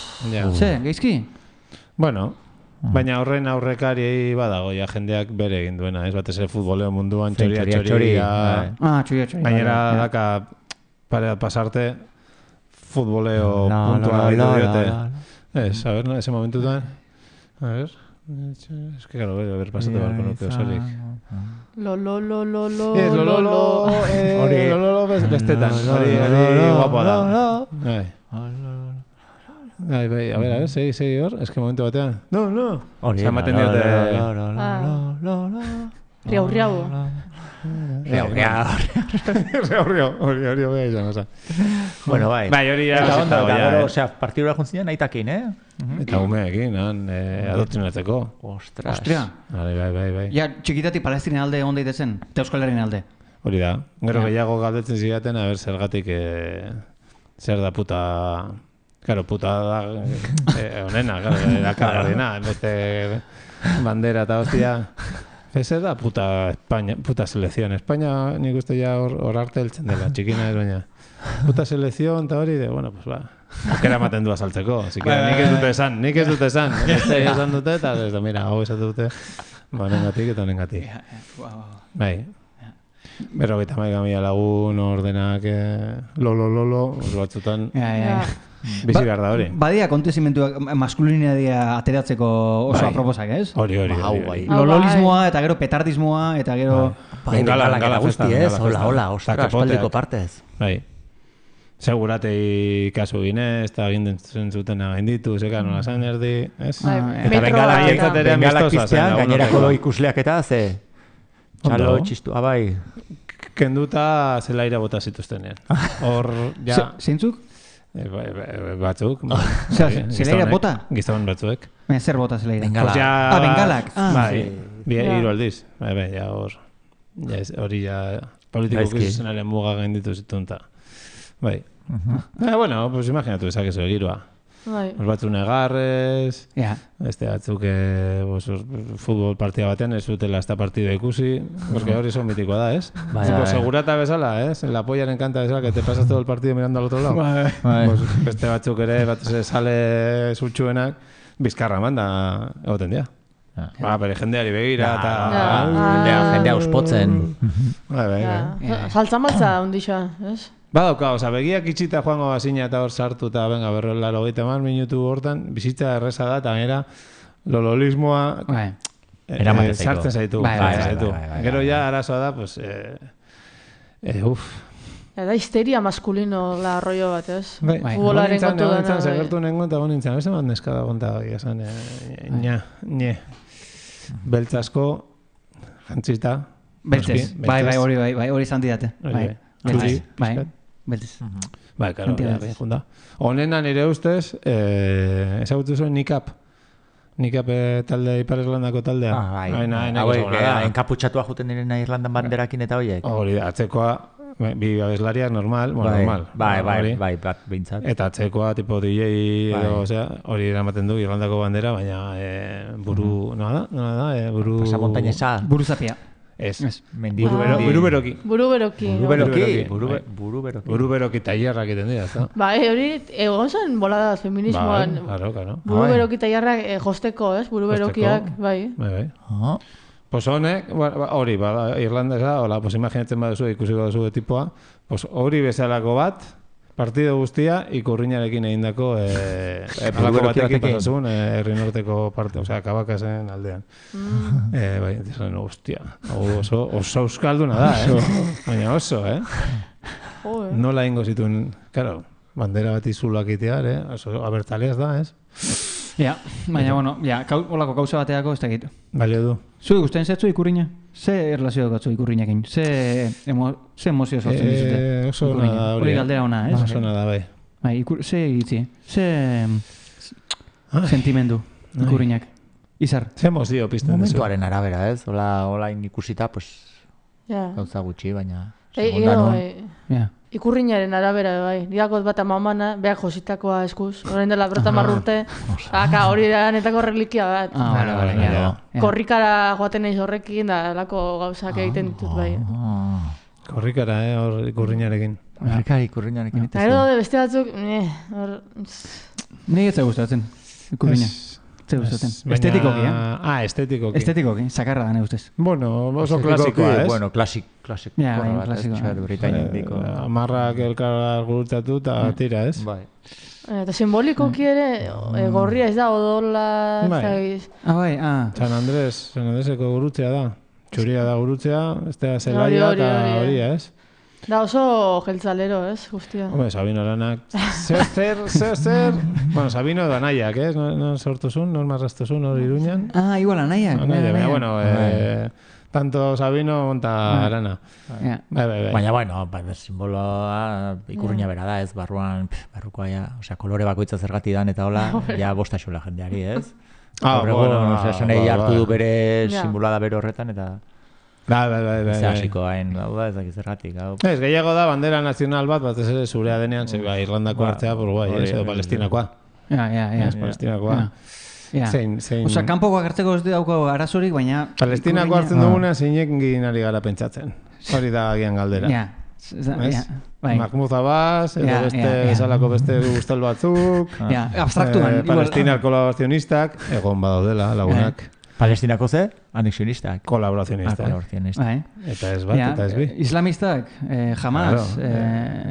Ze, geizki? Bueno, baina horren aurrekari badago, ja jendeak bere egin duena, ez batez ere futboleo munduan, txoria. Baina daka pasarte futboleo puntua edo diote. Ez, a ver, ese momentutan. A ver, es que claro, a ver, pasate barko nuke osorik. Lo, bestetan, hori guapo da. A ver, segi hor, es que momentu batean. No. Osa ematen diote. Riau. Hori bea izan, oza. Bueno, bai. Bai, hori ya. Osea, partidura juntzinen naitakin, Eta umeekin, adoktrinatzeko. Ostria. Bai. Ja, txikitatik Palestina alde egon daitezen, eta Euskal Herrien alde. Hori da. Gero gehiago galdetzen zidaten, a ber, zergatik zer da puta... Claro, puta da onena, erakargarriena, beste bandera eta hostia. Zer da puta España, puta selección. España nik uste ja hor arte heltzen dela, txikina ez baina. Puta selección eta hori de, bueno, pues va. Aukera ematen du azaltzeko, así que nik ez dute esan. Beste esan dute eta ez da, mira, hau esatu dute. Honengatik eta honengatik. Bai. 50.000 lagun ordenak lo batzutan. Bizi behar da hori. Badia kontezimentuak maskulinitatea ateratzeko oso aproposak, ez? Hori. Lololismoa eta gero petardismoa eta gero... Gala guzti, ez? Hola, ostra, espaldiko partez. Bai. Seguratei kasu ginez, eta gintzen zuten aginditu, zeka nola zan erdi, ez? Eta bengalak piztean, gainerako ikusleak eta ze... Txalo, txistua, bai. Kenduta zelaira bota zituztenean. Hor, ja... Zeintzuk? Batzuk. Zelaira bota? Giztaban batzuek. Zer bota zelaira? Bengalak. Bengalak. Bai, hiru aldiz. Bai, ja hor. Hori ja politiko krizenaren muga gainditu zitunta. Bai. Bueno, pues imaginatu ezakezu egirua. Batzu negarrez, beste batzuk futbol partida batean ez zutela esta partida ikusi, porque hori son mitikoa da, ez? Segurata bezala, ez? La pollaren kanta bezala, que te pasas todo el partido mirando al otro lado. Beste batzuk ere, batez sale zutxuenak, bizkarra manda egoten dira. Bere jendeari begira eta... Jendea uspotzen. Saltza maltza ondixoa, ez? Badauka, begiak itxita joango bazina eta hor sartu eta venga, berrolaro gaita minutu hortan, bizitza erreza da, eta gara lololismoa sartzen zaitu. Gero ja arazoa da, pues, Da histeria maskulino la rollo bat, ez? Futbolaren kontu dena. Segertu nengo eta gonintzen, beste bat neskada gonta gai, esan, beltzasko, jantzita. Beltzez, hori izan didate. Beltez. Bai, karo, junda. Honenan nire ustez, ezagutu zuen Nikap. Nikap talde, Ipar Irlandako taldea. Enkaputxatua juten direna Irlandan banderakin eta horiek. Hori, atzekoa, bi abeslariak normal. Bai, bat bintzat. Eta atzekoa, tipo DJ, hori eramaten du Irlandako bandera, baina buru, nola da? Pasamontainesa. Buru zapia. Ez. Buruberoki. Buruberoki tailerrak egiten dira, ez da? Hori egon zen bolada feminismoan. Claro. Buruberoki tailerrak josteko, ez? Buruberokiak, bai. Pues honek, hori, Irlandesa, hola, pues imaginatzen baduzu, ikusiko duzu tipoa, pues hori bezalako bat, partido guztia, ikurriñarekin egindako alako batekin pasasun, herri norteko parte, osea, Kabakasen aldean. Bai, dizan, hostia, oso euskalduna da, baina oso, Nola ingo zituen, claro, bandera bat izulak itear, oso abertaleaz da, ez? Ja, baina, bueno, holako kauza bateako ez dakit. Balio du. Zui guztien zetzu ikurriña? Ze erlazio datzu ikurriñakin? Ze emozio sortzen dizute? Oso ona da hori. Hori galdera ona, ez? Oso ona da, bai. Ze iritzi? Ze sentimendu ikurriñak? Izar. Ze emozio pizten duzu. Momentuaren arabera, ez? Hola ikusita, pues, gauza gutxi, baina... Ikurriñaren arabera, bai. Diakot bat amamana, behak jositakoa eskuz. Horein dela berta marrurte. Hori da netako relikia bat. Korrikara joaten naiz horrekin, da lako gauzak egiten ditut, bai. Korrikara, hor ikurriñarekin. Ikurriñarekin. Eta gero beste batzuk, Ni ez gustatzen, ikurriña. Zer gustatzen. Estetikoki, estetikoki. Estetikoki, sakarra da, ne ustez. Bueno, oso klasikoa, ez? Bueno, klasiko. Amarrak elkar gurutzatu eta tira, ez? Bai. Eta simbolikoki ere, gorria ez da, odola, bai. San Andreseko gurutzea da. Txuria da gurutzea, ez da zelaia eta hori, ez? Da oso jeltzalero, ez, guztia. Hombre, Sabino Aranak. Zer. Bueno, Sabino edo anaiak, ez? Non sortuzun, non marrastuzun, hori Iruñan. Igual anaiak. Bueno, tanto Sabino monta Arana. Baina, bueno, simboloa ikurriña bera da, ez? Barrukoa, osea, kolore bakoitza zergati dan eta hola, ja bostaxola jendeari, ez? Esanei hartu du bere simboloa da bere horretan, eta... Bai. Hasiko hain, ez dakiz zergatik. Ez, gehiago da, bandera nazional bat ez ere zurea denean, Irlandako hartzea, edo Palestinakoa. Ez, Palestinakoa. Osa, kanpoko agertzeko ez dauko arazorik, baina... Palestinako hartzen duguna zeinek ginari gara pentsatzen. Hori da gian galdera. Mahmoud Abbas, edo beste esalako beste guztel batzuk. Abstraktuan. Palestinar kolaborazionistak, egon badaudela, lagunak. Palestinako ze? Anexionistak. Kolaborazionistak. Eta ez bat, eta ez bi. Islamistak, Hamas.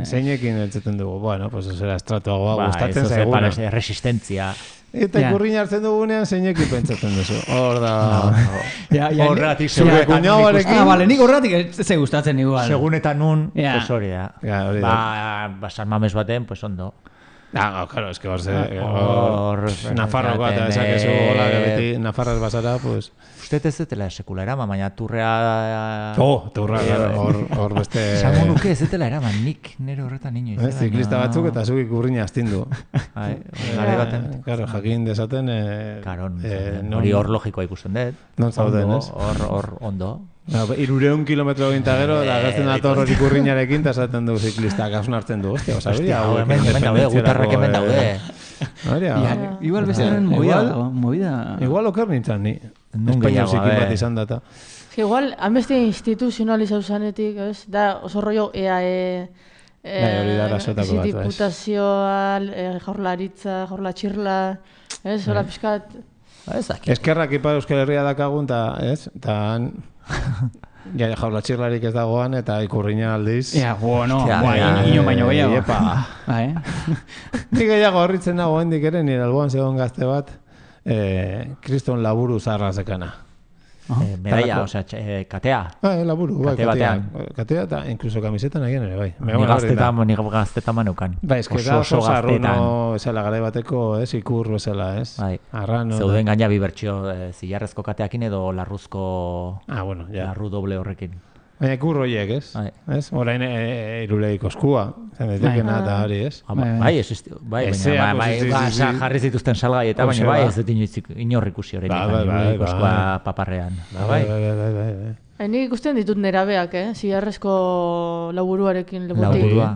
Zeinekin eltzeten dugu. Bueno, pues ez era estratuagoa gustatzen zaiguna. Resistentzia. Eta ikurriña hartzen dugunean zeinekin pentsatzen duzu. Hor da... Horretik zure kuñauarekin. Bale, nik horretik ze gustatzen igual. Segun eta nun, pues hori da. Ba, San Mames baten, pues ondo. Claro, es que Nafarrokoa eta esakezu hola beti Nafarraz basara, pues... Usted ez zetela sekula eraman, baina turrea... Turra, hor beste... Esango nuke ez zetela eraman, nik nire horretan inoiz. Ziklista batzuk eta zuk ikurriña astindu. Gare baten. Claro, jakin desaten... Hori hor logikoa ikusten dut. Non zauden, ez? Hor ondo. 200 kilometro ginta gero, da gazten dator hori ikurriñarekin, eta esaten du ziklistak, hasun hartzen du. Hostia, hemen daude, gutarrak hemen daude. Igual bestaren movida. Igual oker nintzen ni. Espainiol zikin bat izan data. Igual, hanbeste instituzionalizau zanetik, ez? Da, oso rollo EAE, diputazioa, jaurlaritza, ez? Hora pixkat... Eskerrak Ipar Euskal Herria dakagun, eta han... jaurlatxirlarik ez dagoan eta ikurriña aldiz. Ino baino gehiago. Nik gehiago horritzen dago hendik ere, nire alboan zegoen gazte bat, kriston laburu zarra zekana. Medalla, osea, katea. Laburu, katea eta inkluso kamisetan egin ere, bai. Ni gazteta maneukan. Bai, ez que da oso zarruno esela garai bateko, ez, ikur bezala, ez. Bai, zeuden gaina bi bertsio zilarrezko kateakin edo larruzko... Larru doble horrekin. Baina ikur horiek, ez? Horain iruleik oskua, zendetekena eta hori, ez? Baina jarri zituzten salgai eta baina bai ez dut inorri ikusi horrein iruleik oskua paparrean. Nik ikusten ditut nerabeak, zilarrezko laburuarekin Laburua.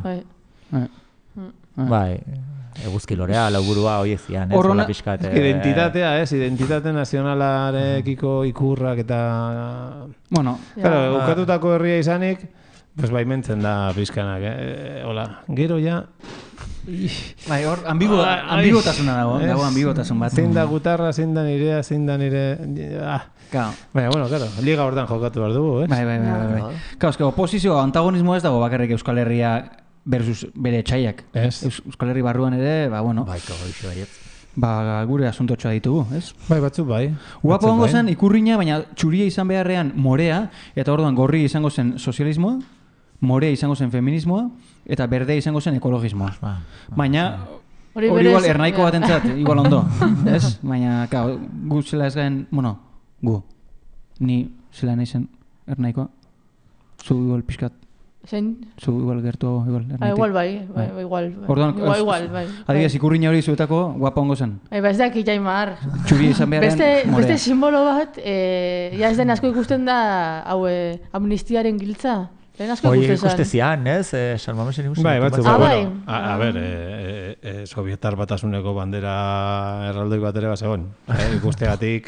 Bai, eguzki lorea, lauburua horiek zian, ez? Horrela pixkat... Identitatea, ez? Identitate nazionalarekiko ikurrak eta... Bueno... Claro, ukatutako herria izanik, pues baimentzen da pixkanak, hola, gero ja... Bai, hor, ambigotasuna dago ambigotasun bat. Zein da gutarra, zein da nirea, zein da nire... Baina, bueno, claro, liga hortan jokatu behar dugu, ez? Bai. Claro, oposizio, antagonismo ez dago bakarrik Euskal Herria versus bere etxaiak. Euskal Herri barruan ere, bueno. Bai, kagoixo baiet. Gure asuntotxoa ditugu, ez? Bai, batzuk bai. Guapo hongo zen ikurriña, baina txuria izan beharrean morea, eta orduan gorri izango zen sozialismoa, morea izango zen feminismoa, eta berde izango zen ekologismoa. Baina, hori igual ernaiko batentzat, igual ondo, ez? Baina, gu zela ez gaen, ni zela nahi zen ernaikoa, zu igual pixkat Zein? Zu igual gertu igual. Igual bai. Igual bai. Adibidez, ikurriña hori zuetako guapa ongo zen. Ez daki Jaimar. Txuri izan beharren morea. Beste simbolo bat, ja ez den asko ikusten da, hau, amnistiaren giltza. Hoi ikuste zian, ez? Salmamesen ikusten. Bai, batzuk. A ber, Sovietar Batasuneko bandera erraldoi bat ere bat zegoen. Ikustegatik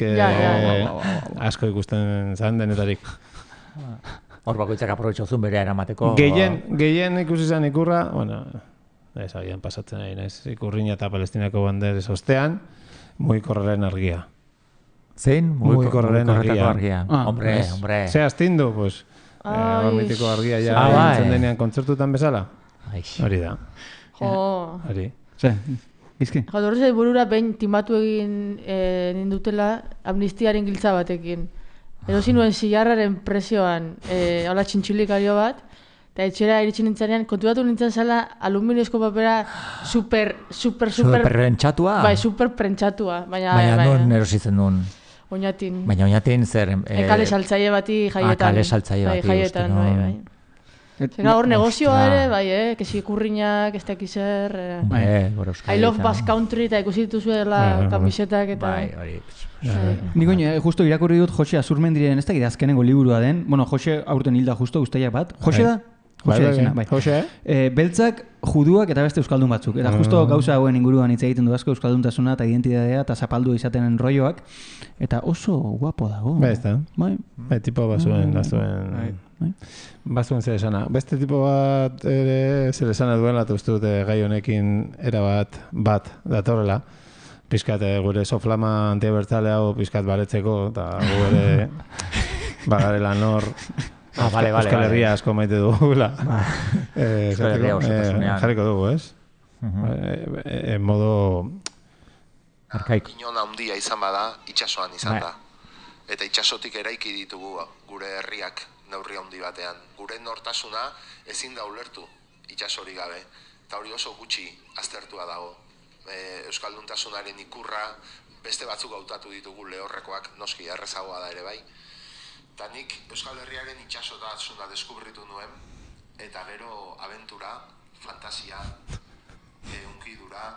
asko ikusten zan denetarik. Hor bakoitzak aprobetxozun berea eramateko. Gehien ikusi zen ikurra, bueno, ez agian pasatzen ari naiz, ikurriña eta Palestinako banderes ostean, mugikorraren argia. Zein? Mugikorraren argia. Hombre. Ze astindu, pues, mitiko argia ja entzen denean kontzertutan bezala. Hori da. Hori. Ze, izki? Horrez burura behin timatu egin nindutela amnistiaren giltza batekin. Erosi nuen zilarraren presioan, hola txintxilikario bat, eta etxera iritsi nintzenean, konturatu nintzen zela aluminiozko papera super prentxatua? Bai, super prentxatua. Baina non erositzen duen? Oñatin. Baina oñatin zer? Kale saltzaile bati jaietan. Kale saltzaile bati, jaietan, bai. Zena hor negozioa ere, bai, kesi ikurriñak, ez dakiz zer. I love Basque Country, eta ikusi dituzuela kamisetak eta... Bai, hori. Nik oin, justo irakurri dut Jose Azurmendiren, ez dakit azkenengo liburua den. Bueno, Jose aurten hilda justo, guztiak bat. Jose da? Jose? Beltzak, juduak eta beste euskaldun batzuk. Eta justo gauza hauen inguruan hitz egiten du asko euskalduntasuna eta identitatea eta zapaldu izaten rolloak. Eta oso guapo dago. Bai, ez da. Bai, tipo bazuen. Bazuen zer esana. Beste tipo bat ere zer esana duela, eta uste dute gai honekin erabat bat datorrela. Piskat gure soflama antiabertzale hau piskat baretzeko, eta gu ere bagarela nor Euskal Herria asko maite dugula. Euskal Herria oso tasunean. Jarriko dugu, ez? En modo... Arkaiko. Inon handia izan bada, itxasoan izan da. Eta itxasotik eraiki ditugu gure herriak neurri handi batean. Gure nortasuna ezin da ulertu itxasori gabe. Eta hori oso gutxi aztertua dago. Euskalduntasunaren ikurra beste batzuk hautatu ditugu lehorrekoak, noski errezagoa da ere bai. Eta nik Euskal Herriaren itxasotasuna deskubritu nuen, eta gero abentura, fantasia, unkidura,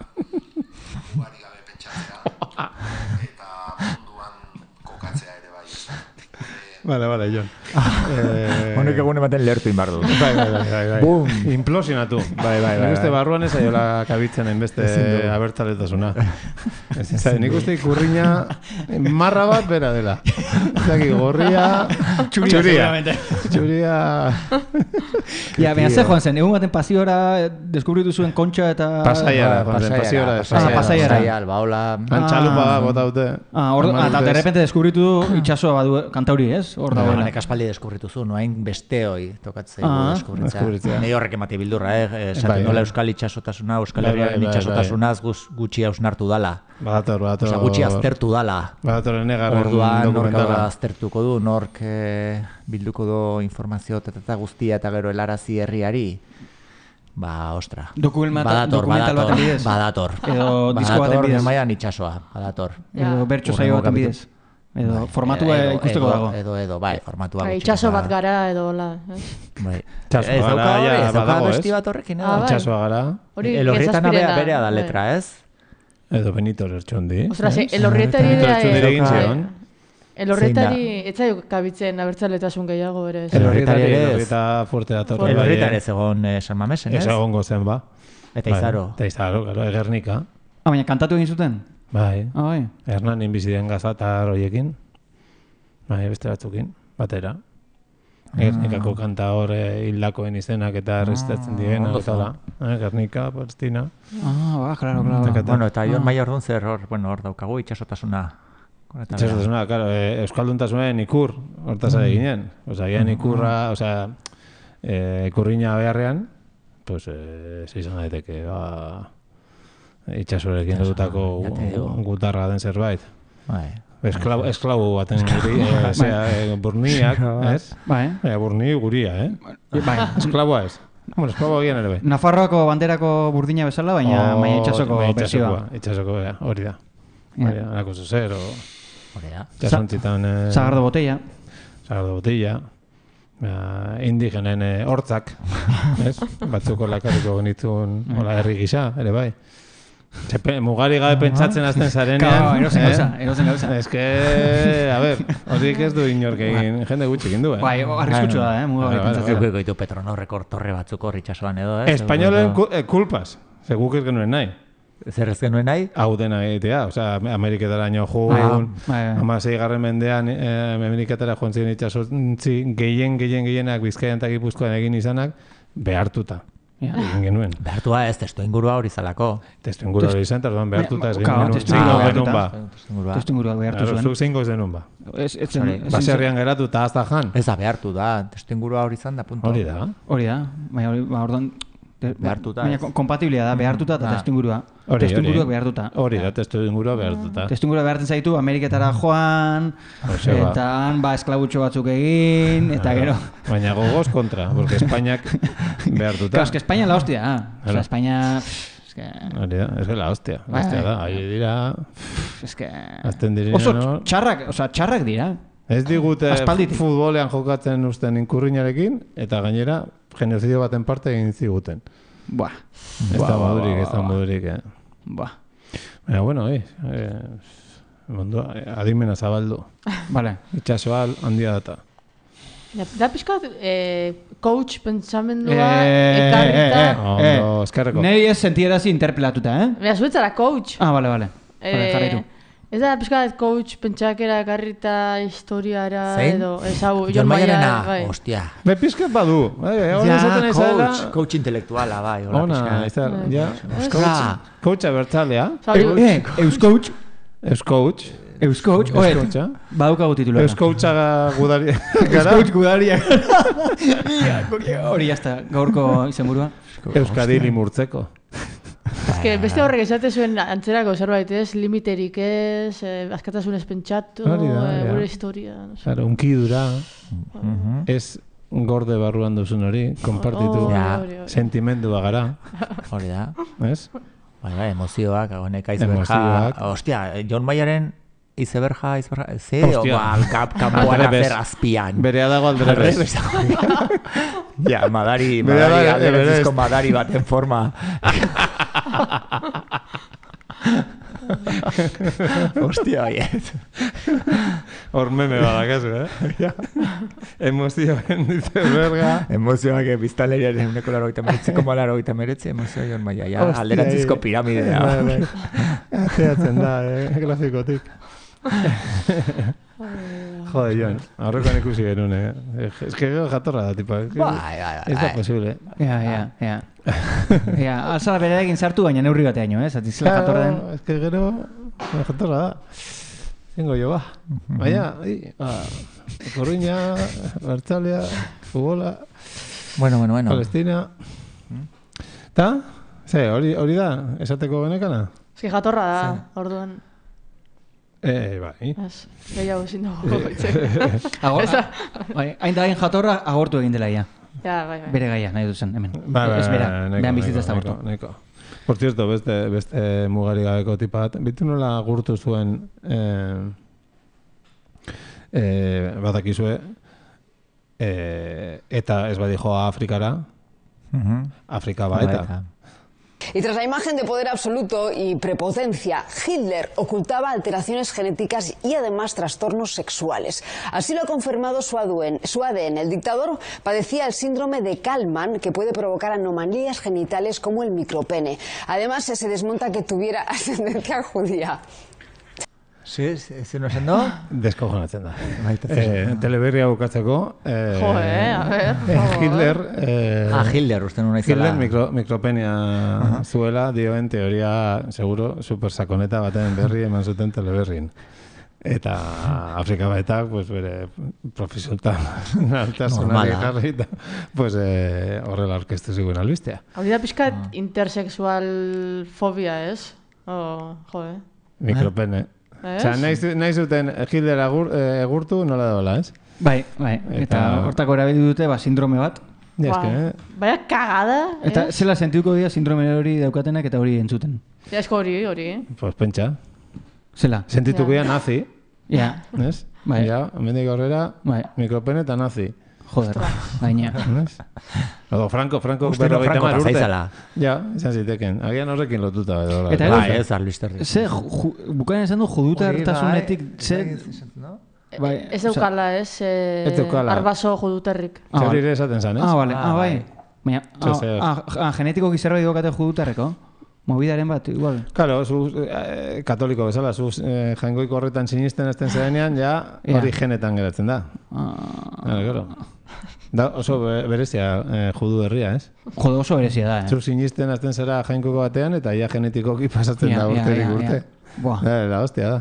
ugari gabe pentsatzea, eta munduan kokatzea ere bai. Vale, Jon. Honek egun ematen lehertu inbardu. Bai. Bum! Implosionatu. Bai. Nik uste barruan ez aiola kabitzen beste abertzaletasuna. Nik uste ikurriña marra bat bera dela. Zaki, gorria... Txuria... Ja, baina ze joan zen, egun baten pasiora deskubritu zuen kontxa eta... Pasaiara. Pasaiara. Antxalupa bota dute. Eta derrepente deskubritu du itxasoa badu kantauri, ez? Honek aspaldi deskubritu zu, noain besteoi tokatzei deskubritzea. Nei horrek emate bildurra, esaten nola euskal itxasotasuna, euskal herriaren itxasotasunaz gutxi hausnartu dala. Badator. Osa, gutxi aztertu dala. Badator enegarren dokumentala. Orduan, nork aztertuko du, nork bilduko du informazio eta guztia eta gero helarazi herriari. Ostra. Dokumental baten bidez. Badator. Edo disko baten bidez. Maian itxasoa, badator. Edo bertso saio baten bidez. Edo formatua ikusteko dago. Edo, formatua gutxi. Itxaso bat gara edo hola. Itxaso gara, ez dauka besti bat horrekin. Itxasoa gara. Elorrietan berea da letra, ez? Edo Benito Lertxondi. Ostras, elorrietari egin zion. Elorrietari, etzaio kabitzen abertzaletasun gehiago ere. Elorrieta fuerte dator. Elorrieta ere zegoen San Mamesen, ez? Ez egon gozen, ba. Eta Izaro. Eta Izaro, Egernika. Baina kantatu egin zuten? Bai. Hernan inbiziden gazatar horiekin. Bai, beste batzukin. Batera. Gernikako kanta hor hildakoen izenak eta errezitatzen direna. Gernika, Palestina. Claro. Bueno, eta Jon Maia orduan zer hor daukagu itxasotasuna. Itxasotasuna, claro, euskalduntasunaren ikur hortaz ari ginen. Osa, gian ikurra, ikurriña beharrean, pues, izan daiteke, itxasorekin dutako gutarra den zerbait. Esklabu baten guri, burniak, ez? Burni guria, Esklabua ez. Bueno, esklabua gian ere bai. Nafarroako banderako burdina bezala, baina itxasoko bersioa. Itxasoko, hori da. Alako zuzer, Hori da. Jasantzitan... Sagardo botella. Sagardo botella. indigenen hortzak, batzuko lakarriko genituen herri gisa, ere bai. Mugari gabe pentsatzen azten zarenean. Erozen gauza. Ez que, a ver, horiek ez du inork egin, jende gutxik indu, Bai, arriskutsu da, mugari pentsatzen. Goitu Petronorreko torre batzuko ritxasoan edo, Espainolen kulpas, ze guk ez genuen nahi. Zer ez genuen nahi? Hau dena egitea, Ameriketara nio joan, 16. mendean Ameriketara joan ziren itxasontzi, gehienak Bizkaian eta Gipuzkoan egin izanak, behartuta. Egin genuen. Behartua ez, testu ingurua hori zalako. Testu ingurua hori izan, eta behartuta ez genuen. Testu ingurua behartu zuen. Zuk zeingo ez denun ba. Baserrian geratu eta azta jan. Ez da, behartu da. Testu ingurua hori izan da, punto. Hori da. Orduan, behartuta. Baina kompatiblia da, behartuta eta testu ingurua. Testu ingurua behartuta. Hori da, testu ingurua behartuta. Testu ingurua behartzen zaitu, Ameriketara joan, eta esklabutxo batzuk egin, eta gero. Baina gogoz kontra, porque Espainiak behartuta. Claro, es que España la hostia, O sea, España... Hori da, ez la hostia. Hostia da, ahi dira... Es que... Oso txarrak dira. Ez digute futbolean jokatzen usten inkurriñarekin, eta gainera genozidio baten parte egin ziguten. Buah. Ez da modurik, Buah. Baina, bueno, adimena zabaldu. Vale. Itxasoa handia data. Da pixkat, coach pentsamendua ekarrita... Ondo, eskerreko. Nei ez sentierazi interpelatuta, Bea, zuetzara coach. Vale. Jarraitu. Ez da pixkat coach pentsakera ekarrita historiara edo... Jon Maiarena, hostia. Be pixkat badu. Coach intelektuala, bai. Ona, coach abertzalea. Euskoach. Euskoach, badukagu titulara. Euskoacha gudaria. Euskoach gudaria. Hori jazta, gaurko izenburua. Euskadili murtzeko. Ez que beste horrek esate zuen antzerako zerbait ez, limiterik ez, askatasunez pentsatu, gure historia. Claro, unkidura, ez gorde barruan duzun hori, konpartitu sentimendua gara. Hori da. Ez? Bai, emozioak, agonek iceberga. Hostia, Jon Maiaren iceberga, kanpoan azer azpian. Berea dago alderrez. Ja, alderrezko madari baten forma. Hostia, baiet. Hor meme badakazu, Emozioen iceberga. Emozioak biztanleriaren uneko 89,89 emozioa Jon Maia. Alderantzizko piramidea. Ateatzen da, grafikotik. Jode, Jon, aurrekoan ikusi genuen, Ez que jatorra da, tipa. Ez da posible. Alzala bere egin sartu, baina neurri bateaino, Zatizela jatorra den. Ez que gero, jatorra da. Zengo jo, ba. Baina, Korruña, Bertzalea, Futbola, Bueno. Palestina. Ta? Hori da, esateko genekana? Ez que jatorra da, orduan. Bai. Gehiago ezin dago. Hain da hain jatorra agortu egin dela ia. Bai. Bere gaia, nahi duzen, hemen. Ez bera, behan bizitza ez da agortu. Por cierto, beste mugari gabeko tipa bat. Bitu nola agurtu zuen batakizue eta ez badi joa Afrikara. Afrika ba eta. Y tras la imagen de poder absoluto y prepotencia, Hitler ocultaba alteraciones genéticas y además trastornos sexuales. Así lo ha confirmado su ADN. El dictador padecía el síndrome de Kallmann, que puede provocar anomalías genitales como el micropene. Además, se desmonta que tuviera ascendencia judía. Zer no esan do? Deskojonatzen da. Teleberria bukatzeko. A ver. Hitler... Hitler, uste nuna izela. Hitler mikropenia zuela, dioen teoria, seguro, supersakoneta baten berri eman zuten teleberrin. Eta Afrika baetak, pues, bere profesionaltasunari jarri eta horrela orkestu ziguen albistea. Hori da pixkat intersexual fobia, ez? Mikropene. Nahi zuten Hitler egurtu nola dola, ez? Bai. Eta hortako erabili dute sindrome bat. Baina kagada, Eta zela sentiuko dira sindrome hori daukatenak eta hori entzuten. Esko hori. Pues pentsa. Zela. Sentituko dira nazi. Ja. Ez? Ja, hemendik aurrera, mikropene eta nazi. Joder, gaina. Odo, Franco berrogeita mar urte. Ja, izan ziteken. Agian horrekin lotuta. Eta ez, Arlisterri. Bukain esan du judutartasunetik, ez eukala, arbaso judutarrik. Zeurire esaten zan, ez? Bai. Genetiko gizerra idokate judutarreko? Movidaren bat, igual. Claro, zu katoliko bezala, zu jaingoiko horretan sinisten ezten zedenean, ja hori genetan geratzen da. Claro. Da oso berezia judu herria, ez? Jode oso berezia da, Zu sinisten azten zera jainkoiko batean, eta ja genetikoki pasatzen da urterik urte. La hostia da.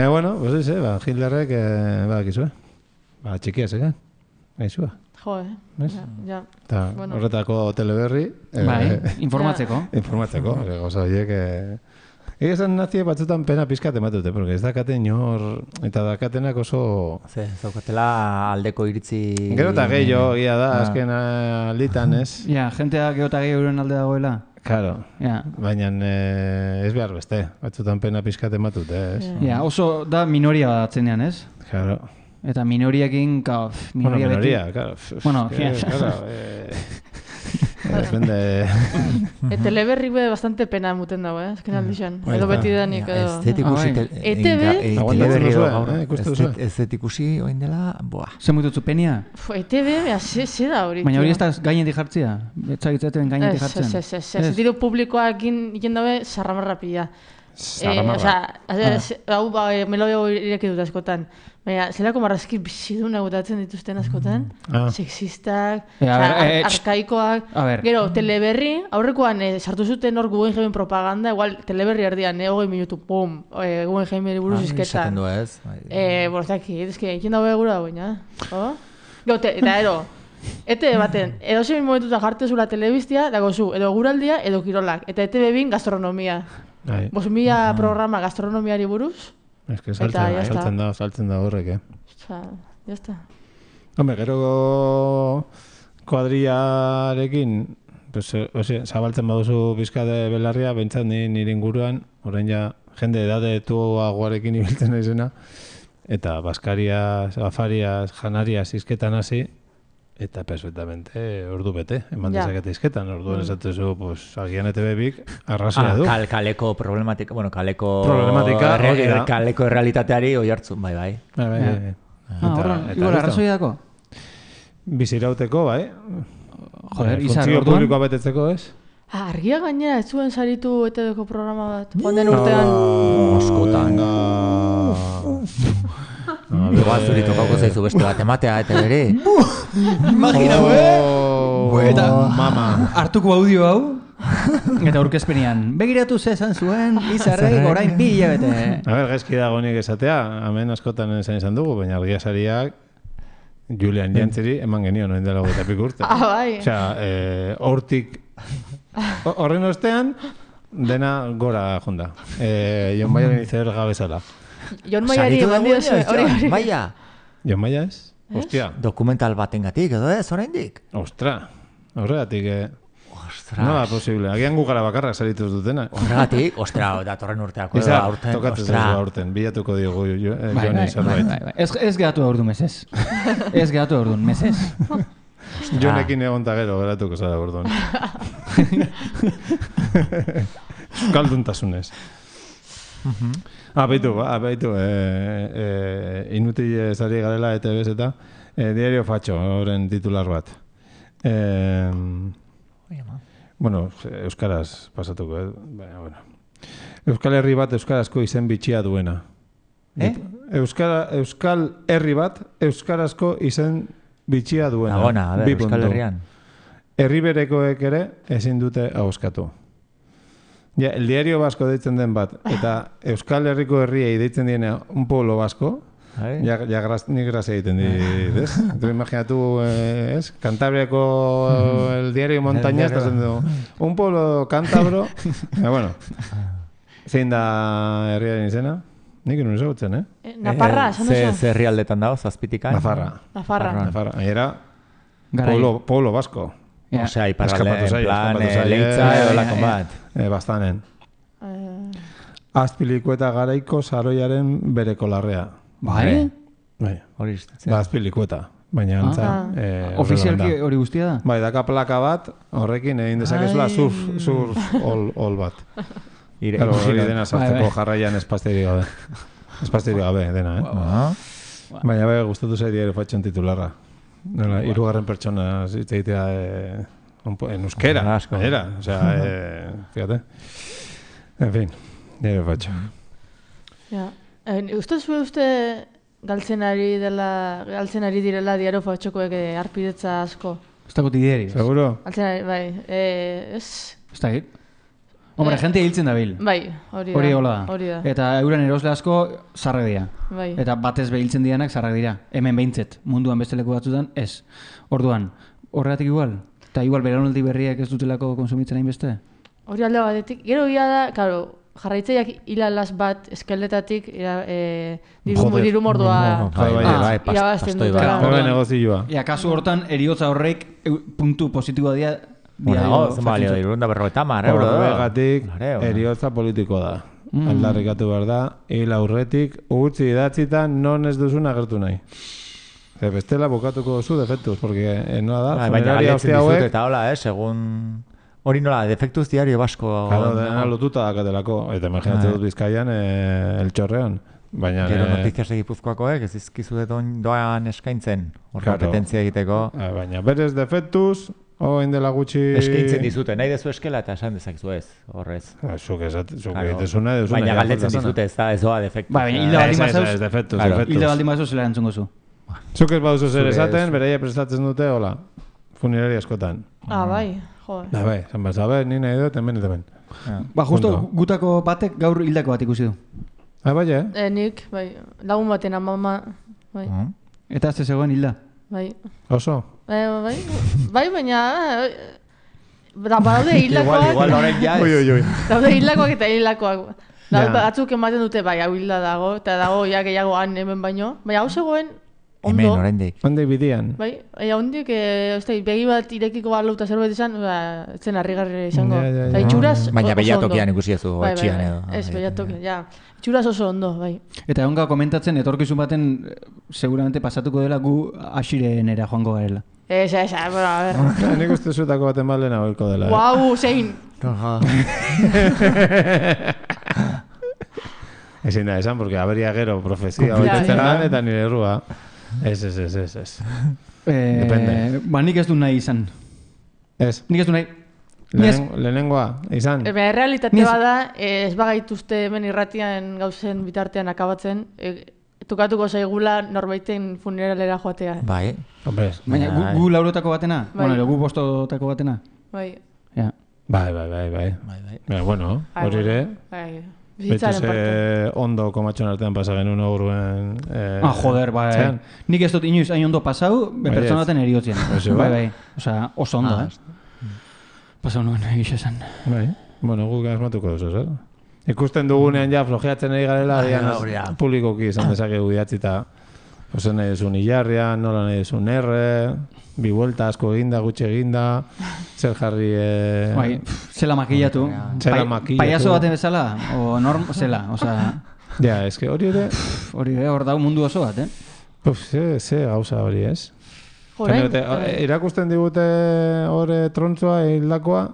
Bueno, pues Hitlerrek, bakizue. Txikia zegan, gaizua. Ja. Horretako teleberri. Informatzeko. Gauza horiek. Egezan naziek batzutan pena pizkat ematute, porque ez dakaten inor, eta dakatenak oso... Zaukatela aldeko iritzi... Gero eta gehiago, egia da, azken alditan, ez? Ja, jentea gero eta gehiago euren alde dagoela. Claro, baina ez behar beste, batzutan pena pizkat ematute, ez? Ja, oso da minoria batzenean, ez? Claro. Eta minoriakin, minoria, claro. Bueno, depende... Teleberrik be bastante pena muten dago, azken aldixan. Edo beti danik, edo... Ez ikusi oin dela, boa. Zer mututzu penia? ETV, ze da hori. Baina hori ez da gainetik jartzia? Etxagitzaten gainetik jartzen? Ez diru publikoakin iken dabe, sarramarra pila. Hau melodeo ireki dut askotan. Baina, zelako marrazki biziduna gutatzen dituzten askotan. Sexistak, arkaikoak. Gero, teleberri, aurrekoan sartu zuten hor Guggenheim propaganda, igual teleberri erdian, 20 minutu, pum, Guggenheimeri buruz izketan. Bortzaki, ezke, ikin dago egura baina. Eta ero, baten, edo zein momentuta jartezula telebiztia, dago zu, edo guraldia, edo kirolak. Eta ETV-bin gastronomia. 5.000 programa gastronomiari buruz. Ez que saltzen da horrek, Jazta. Hombre, gero kuadriarekin, zabaltzen baduzu bizkade belarria, bentsat nire inguruan, orain ja, jende edade tuagoarekin ibiltzen naizena, eta Baskarias, Afarias, Janarias izketan hasi, eta perfectamente ordu bete, eman dezakete izketan, orduan esatezu, agian ETV-bik arrazoia du. Kaleko problematika, kaleko errealitateari oi hartzun, bai. Igual arrazoia dako? Bizirauteko, bai. Joder, izan funtzio orduan? publikoa betetzeko, ez? Argia gainera, ez zuen saritu ETV-ko programa bat, joan den urtean. Moskotan. Igual zuri tokauko zaizu beste bat ematea eta bere. Imagina, Eta mama. Hartuko audio hau. Eta aurkezpenean. Begiratu zezan zuen, Izarrek orain 2 hilabete. Gaizki dago nik esatea, hemen askotan izan dugu, baina argia sariak Julian Jantzeri eman genion, noin dela 20 urte. Bai. Osea, hortik horren ostean, dena gora jonda. Jon Maiaren izeber gabezala. Jon Maiari eman dio hori. Maia. Jon Maia ez? Ostia. Dokumental batengatik edo ez, oraindik? Ostra. Horregatik, nola posible. Agian gugara bakarrak sarituz dutena. Horregatik, datorren urteako edo aurten. Tokatzen zaizu aurten. Bilatuko diogu Joni zerbait. Ez geratu aurdun mesez. Ez geratu aurdun mesez. Jonekin egon gero geratuko zara aurdun. Kalduntasunez. Baitu, inutil zari garela ETV eta Diario Fatxo, horren titular bat. Euskaraz pasatuko, Euskal Herri bat euskarazko izen bitxia duena. Euskal Herri bat euskarazko izen bitxia duena. Euskal Herrian. Herri berekoek ere ezin dute ahoskatu. Ja, el Diario Vasco deitzen den bat, eta Euskal Herriko herriei deitzen diena un pueblo vasco, nik grazia egiten dit, ez? Tu imaginatu, ez? Cantabriako el Diario Montañas, un pueblo cántabro, zein da herriaren izena? Nik nuen ezagutzen, Nafarra, esan duzu? Ze herrialdetan dago, zazpitika? Nafarra. Era pueblo vasco. Osea, iparralde, en plan, leitza edo lakon bat. Bastanen. Azpilikueta garaiko saroiaren bereko larrea. Bai? Bai. Azpilikueta. baina antza... Ofizialki hori guztia da? Bai, daka plaka bat, horrekin egin dezakezula surf all bat. Claro, hori dena sartzeko jarraian espazteri gabe. Espazteri gabe, dena, Baina bai, gustatu zai diario fatxon titularra. Hirugarren pertsona zitzeitea en euskera, gainera. O sea, fíjate. En fin, diario fatxo. Ja. Uste galtzen ari direla diario fatxokoek arpidetza asko? Ez dago tideri. Seguro? Galtzen ari, bai. Ez da hit? Hombre, gente hiltzen da bil. Bai, hori da. Eta euren erosle asko zarrak dira. Bai. Eta batez behiltzen dianak zarrak dira. Hemen behintzet, munduan beste leku batzutan, ez. Orduan, horregatik igual? Eta igual belaunaldi berriak ez dutelako konsumitzen hain beste? Hori alde batetik. Gero ia da, karo, jarraitzaiak hilalaz bat eskeletatik diru mordua irabazten dutela. Hore negozioa. Ea, kasu hortan, eriotza horrek puntu positiboa dira. Bueno, zenbalio da, irunda berroeta mar, Horregatik, eriotza politiko da. Aldarrikatu behar da, hil aurretik, utzi idatzitan non ez duzun agertu nahi. Bestela bukatuko zu defektuz, porque nola da, funeraria hostia hauek... Eta hola, segun... Hori nola, defektuz diario basko... Claro, dena lotuta dakatelako. Eta imaginatzen dut Bizkaian, el txorrean. Gero notizias egipuzkoakoek, ez izkizu doan eskaintzen, hor kompetentzia egiteko. Baina berez defektuz, indela gutxi... Eskaintzen dizute, nahi dezu eskela eta esan dezakzu ez, horrez. Zuk egitezuna, baina galdetzen dizute, ez doa defektu. Baina hilda baldin mazauz zela entzungo zu. Zuk ez baduzu zer esaten, bereia prestatzen dute, hola, funerari askotan. Bai, joder. Bai, zan bat, ni nahi dut, hemen. Justo, gutako batek gaur hildako bat ikusi du. Bai, Nik, bai, lagun baten amama, bai. Eta azte zegoen hilda? Bai. Oso? Bai, baina... Daude hildakoak... Igual horrek ja ez. Daude hildakoak eta hildakoak. Batzuk ematen dute, bai, hau hilda dago, eta dago ja gehiago han hemen baino. Baina hau zegoen, ondo. Hemen, oraindik. Ondik bidian. Bai, ondik, begi bat irekiko balu eta zerbait izan, etzen harrigarri izango. Itxuraz baina behiatokian ikusi ezu, etxian edo. Ez, behiatokian, ja. Itxuraz oso ondo, bai. Eta egonga komentatzen, etorkizun baten, seguramente pasatuko dela gu asirenera joango garela. Bueno, a ver. Nik uste zuetako baten balena horko dela. Guau, zein! Ezin da esan, porque aberia gero profezia horretzen lan eta nire errua. Ez. Depende. Nik ez du nahi izan. Ez? Nik ez du nahi. Lehenengoa, izan? Realitate bada, ez bagaituzte hemen irratian gauzen bitartean akabatzen, tukatuko zaigula norbaiten funeralera joatea. Bai. Baina, gu laurotako batena? Bueno, gu bostotako batena? Bai. Bai. Bueno, hori ere. Betxe ondo komatxon artean pasa genuen aurruen... joder, bai. Nik ez dut inoiz hain ondo pasau, pertsona baten eriotzen. Bai. Osa, oso ondo, pasau nuen egisa zen. Bai. Bueno, guk asmatuko duzu, zer? Ikusten dugunean ja flojeatzen egin garela, publikoki izan dezakegu idatzita. Ozen nahi duzun hilarrian, nola nahi duzun bi vuelta asko eginda, gutxe eginda, zer jarri... Zela makillatu. Paiazo baten bezala, o norm, zela, oza... Ja, eske hori ere... Hori ere, hor dau mundu oso bat, Ze gauza hori, ez? Irakusten digute hori trontzoa hildakoa,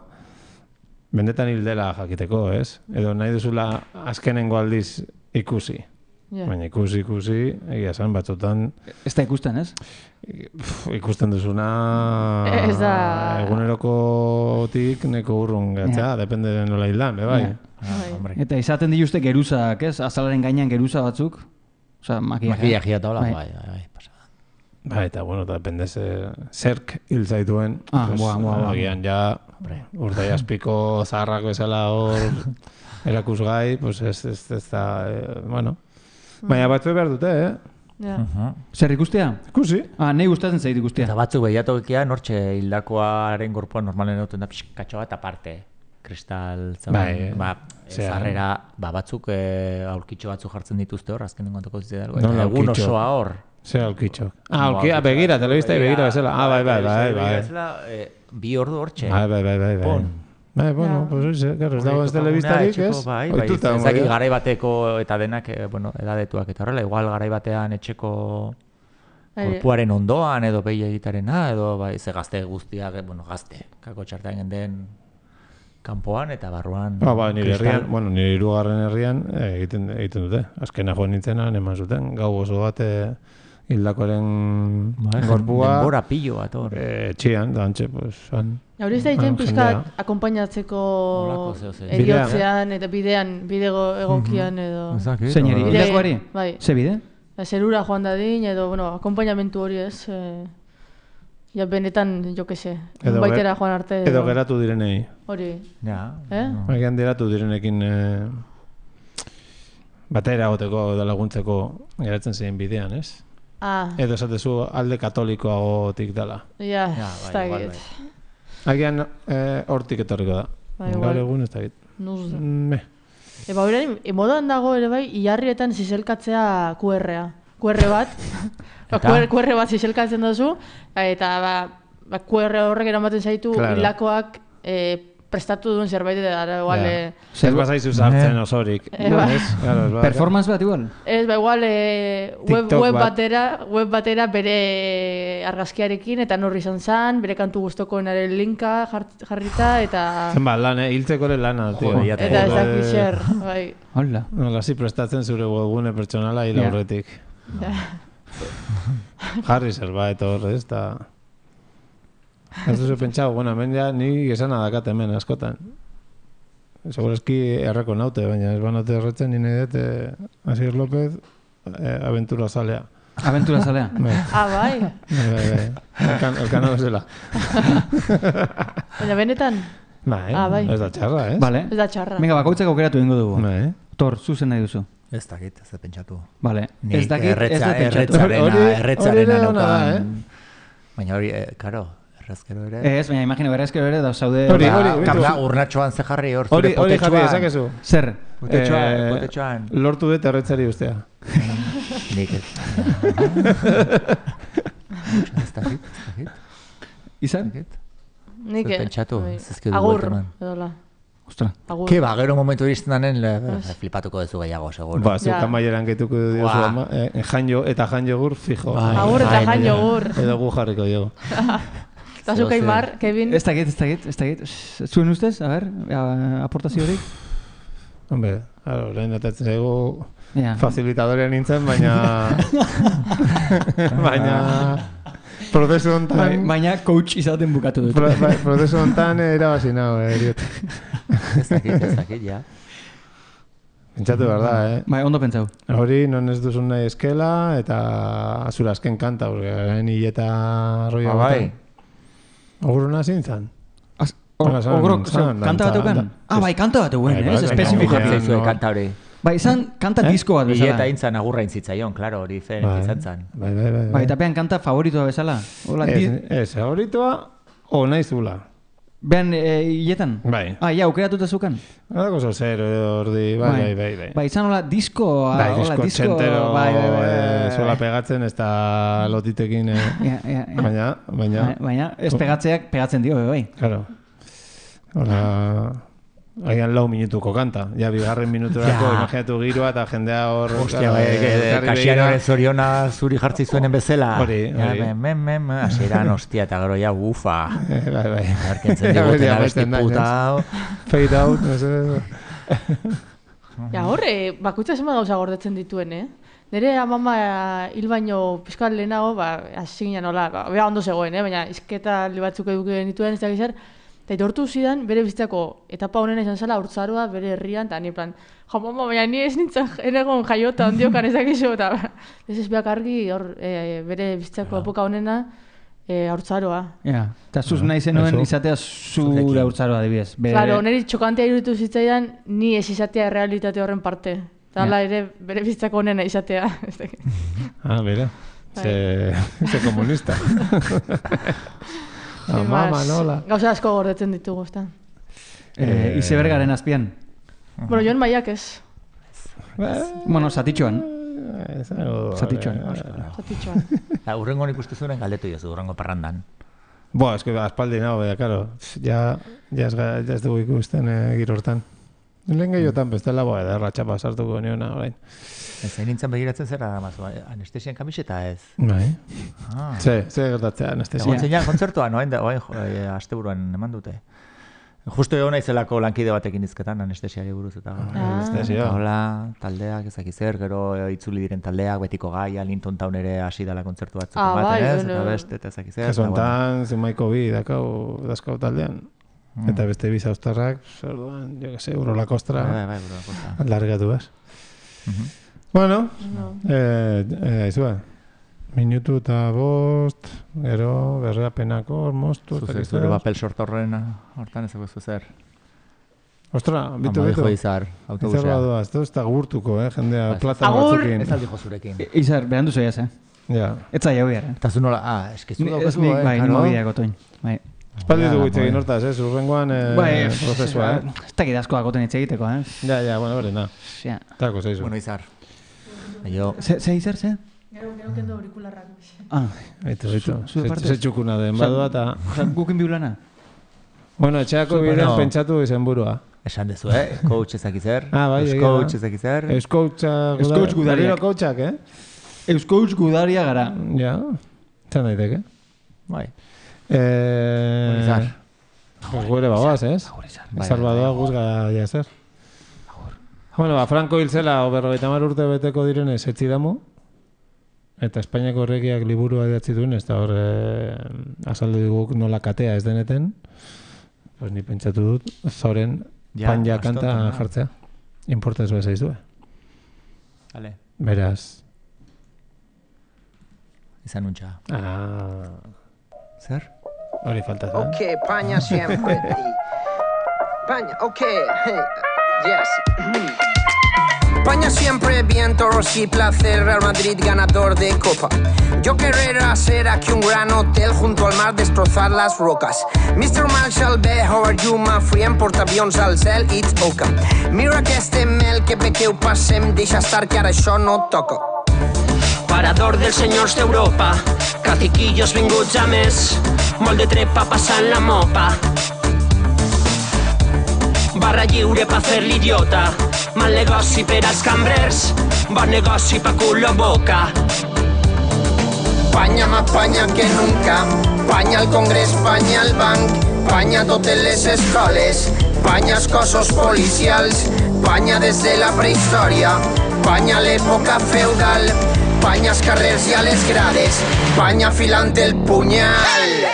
benetan hildela jakiteko, ez? Edo nahi duzula azkenengo aldiz ikusi. Baina ikusi, egia esan batzutan... Ez da ikusten, ez? Ikusten duzuna... Ez da... Egunerokotik neko urrun gatzea, depende de nola hildan, bai. Eta izaten dituzte geruzak, ez? Azalaren gainean geruza batzuk. Osa, makillagia eta hola, bai. Bai, eta bueno, depende zerk hil zaituen. Agian ja, urtai aspiko zaharrako ezala hor erakusgai, pues ez da, bueno... Baina batzu behar dute, Zer ikustea? Ikusi. Nahi gustatzen zait ikustea. Eta batzuk behiatokia nortxe hildakoaren gorpuan normalen duten da pixkatxo bat aparte. Kristal, zarrera, batzuk aurkitxo batzuk jartzen dituzte hor, azken dengontako zitzen dago. Egun osoa hor. Zer aurkitxo? Begira, telebista begira bezala. Bai. Bi ordu hortxe. Bai. Bueno, pues ez dago ez telebistarik, ez? Bai, ez dakit garai bateko eta denak, edadetuak eta horrela, igual garai batean etxeko korpuaren ondoan, edo behi egitarena, edo ze gazte guztiak, gazte, kako txartean genden kanpoan eta barruan... Nire herrian, nire hirugarren herrian egiten dute. Azkena joan nintzenan, eman zuten, gau oso bat hildakoren gorpua... Denbora pillo bat, hor. Txian, dantxe, pues, han... Hori ez da egiten pixkat akompainatzeko eriotzean eta bide egokian edo... Zeineri, hilakoari? Bai. Ze bide? Zerura joan dadin edo, akompainamentu hori ez... Ja, benetan, jo que se, baitera joan arte... Edo geratu direnei. Hori. Ja. Egan geratu direnekin batera goteko edo laguntzeko geratzen zein bidean, ez? Edo esatezu alde katolikoagotik dela. Ja, ez da egit. Agian hortik etorriko da. Gaur egun ez da egit. Nuzda. Eba hori, modan dago ere bai, iarrietan zizelkatzea QR bat. QR bat zizelkatzen duzu, eta QR horrek eramaten zaitu hilakoak prestatu duen zerbait da, igual... Ez bazaizu zartzen osorik. Performance bat igual? Ez, igual web batera bere argazkiarekin, eta norri izan zan, bere kantu guztokoenaren linka jarrita, eta... Zenba, lan, hiltzeko ere lana. Eta ez dakiz zer, bai. Hola. Hasi prestatzen zure webgune pertsonala hil aurretik. Jarri zerbait hor, ez da... Ez duzu pentsau, hemen ja ni esana dakat hemen askotan. Segurazki erreko naute, baina ez banaute erretzen nire dut Asier López aventura zalea. Aventura zalea? Bai. Elkano bezala. Baina benetan? Bai, ez da txarra, ez? Vale. Ez da txarra. Venga, bakoitzak aukeratu ingo dugu. Tor, zuzen nahi duzu. Ez dakit, ez da pentsatu. Vale, ez dakit, ez da pentsatu. Erretzarena naukan. Baina hori, karo, errazkero ere. Ez, baina imagino, errazkero ere da zaude... Kabla urnatxoan ze jarri hor zure potetxoan. Hori jarri, ezakezu. Zer? Potetxoan. Lortu dut erretzari ustea. Nik ez. Ez dakit. Izan? Nik ez. Pentsatu, zizkidu agur, edola. Ostra. Ke gero momentu iristen danen flipatuko dezu gehiago, seguro. Zeukan maieran gaituko diozu ama. Eta jan jogur, fijo. Agur eta jan jogur. Edo gu jarriko dugu. Eta zuka Aimar, Kevin. Ez dakit. Zuen ustez, a ber, aportazio horik? Hombre, orain atatzen zaigu facilitadorean nintzen, baina... Prozesu honetan... Baina coach izaten bukatu dut. Prozesu honetan erabazi nago, eriot. Ez dakit, ja. Pentsatu behar da, Bai, ondo pentsau. Hori, non ez duzun nahi eskela, eta azura azken kanta, garen hileta roia baten. Oguruna zintzan? Ogurok, kanta bat euken? Bai, kanta bat euken, ez? Espezifikatzen zuen kanta hori. Bai, izan kanta disko bat bezala. Eta intzan agurra intzitzaion, klaro, hori zen izan zan. Bai, eta pean kanta favoritoa bezala. Ez, favoritoa, o nahi zula. Behan hiletan? Bai. Ja, aukeratuta zukan? Adako zozer, ordi, bai. Bai, izan hola disko... Bai, disko txentero, zola pegatzen, ez da lotitekin, baina, ez pegatzeak pegatzen dio, bai. Claro. Hola... Agian 4 minutuko kanta. Ja, bigarren minuturako, imaginatu giroa eta jendea hor... Hostia, kasian hori zoriona zuri jartzi zuenen bezala. Hori. Aseran, hostia, eta gero ja, ufa. Bai. Arkentzen diguten abesti puta. Fade out, no sé. Ja, horre, bakutza zema gauza gordetzen dituen, Nere amama hil baino pizkal lehenago, hasi ginen hola, bea ondo zegoen, baina izketa batzuk eduken dituen, ez da gizar, eta itortu zidan, bere bizitzako etapa honena izan zela haurtzaroa, bere herrian, eta ni plan, mama, baina ni ez nintzen enegon jaiota ondiokan ezakizu, eta ez beak argi bere bizitzako epoka honena haurtzaroa. Eta zuz nahi zenuen izatea zure haurtzaroa, adibidez. Claro, niri txokantea iruditu zitzaidan, ni ez izatea realitate horren parte. Eta hala ere, bere bizitzako honena izatea. Bera, ze komunista. Mama, nola. Gauza asko gordetzen ditugu, ezta. Izebergaren azpian. Bueno, joan maiak ez. Bueno, zatitxoan. Zatitxoan. Urrengo nik uste zuen galdetu jozu, urrengo parrandan. Ez que aspaldi nago, karo. Ja ez dugu ikusten giro hortan. Lehen gehiotan bestela boa ederra txapa sartuko niona orain. Ez nintzen begiratzen zera mazu, anestesian kamiseta ez? Bai. Ze gertatzea anestesia. Egon zeinan kontzertuan, oain asteburuan eman dute. Justo egon naizelako lankide batekin izketan anestesiari buruz eta anestesia. Hola, taldeak ezakizer, gero itzuli diren taldeak, betiko gaia, Linton Town ere hasi dela kontzertu batzuk ematen ez, eta beste, eta ezakizer. Kesontan, zimaiko bi dazkau taldean. Eta beste bi zauztarrak, orduan, jo que se, Urola Kostra. Bai, Urola Kostra. Largatu bez. Bueno, aizua. Minutu eta bost, gero, berreapenako, moztu. Zure papel sortorren hortan ezako zuzer. Ostra, bitu. Ama dijo Izar, autobusea. Izar badua, ez da gurtuko, jendea plata batzukin. Ez aldijo zurekin. Izar, berandu zoiaz, Ja. Ez zai hau gara. Eta zu nola, eskezu daukazu, Bai, nimo bideako toin. Espaldi dugu itxegin hortaz, urrengoan prozesua, Ez dakit asko agoten itxegiteko, Ja, bueno, berena. Tako, zeizu. Bueno, Izar. Ze, Izar, ze? Gero kendo aurikularrak. Aitu. Ze txukuna den badua eta... Gukin biulana? Bueno, etxeako bidean pentsatu izen burua. Esan dezu, coach ezakizer. Bai, Euskoach ezakizer. Euskoach gudariak. Euskoach gudaria gara. Ja, zan daiteke. Bai. Izar. Gure bagoaz, ez? Izar badoa guzga jazer. Bueno, Franco hilzela, 50 urte beteko direnez etzidamu. Eta Espainiako Erregeak liburua idatzi duen, ez da hor azaldu dugu nola katea ez deneten. Pues ni pentsatu dut, zoren panja kanta jartzea. Importa ez bezaiz du. Beraz. Izan untxa. Zer? Hori falta. Ok, paña siempre. Paña, ok, yes. España siempre, vientos y placer, Real Madrid ganador de Copa. Yo querré ser aquí un gran hotel junto al mar, destrozar las rocas. Mr. Marshall, bé, how are you, my friend? Portaavions al cel, it's oca. Mira que este mel que bé que ho passem, deixa estar que ara això no toca. Parador dels senyors d'Europa, caciquillos vinguts a més, molt de trepa passant la mopa. Barra lliure pa fer l'idiota, mal negoci per als cambrers, bon negoci pa culo boca. Panya más panya que nunca, panya al Congrés, panya al banc, panya totes les escoles, panya als cossos policials, panya des de la prehistòria, panya a l'època feudal, panya als carrers i a les grades, panya afilant el punyal.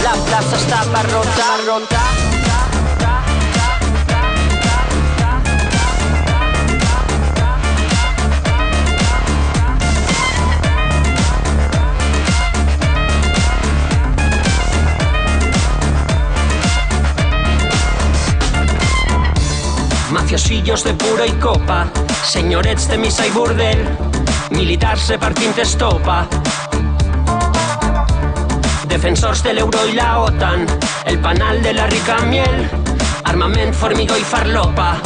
La plaza está abarrotada, rota. Mafiosillos de pura y copa, señorets de missa y burdel, militars repartint estopa. Defensors de l'euro i la OTAN, el panal de la rica miel, armament, formigó i farlopa.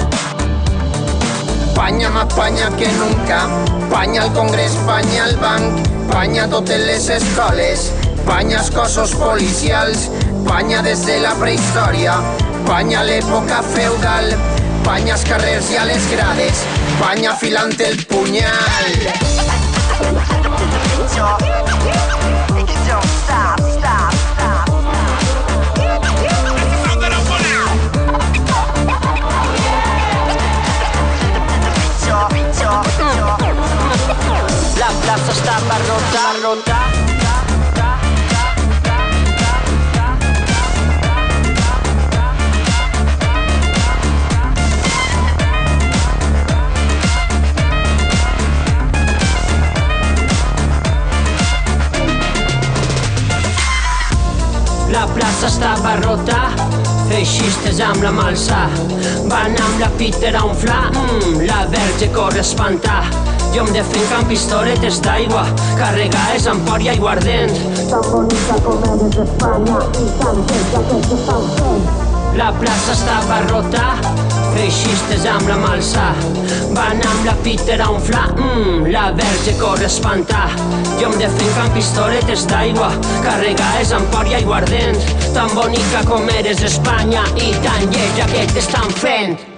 Panya más panya que nunca, panya al Congrés, panya al banc, panya totes les escoles, panya als cossos policials, panya des de la prehistòria, panya a l'època feudal, panya als carrers i a les grades, panya afilant el punyal. La plaza está abarrotada. La plaça estava rota, feixistes amb la malsa, van amb la Peter a unflar, la verge corre a espantar. Jo em defenc amb pistoletes d'aigua, carregades amb por i aiguardent. Tan bonica com eres d'Espanya, i tan feta que s'estan fent. La plaça estava rota, feixistes amb la malsa, van amb la Peter a unflar, la verge corre a espantar. Jo em defenc amb pistoletes d'aigua, carregades amb por i aiguardent, tan bonica com eres Espanya i tan lletja que t'estan fent.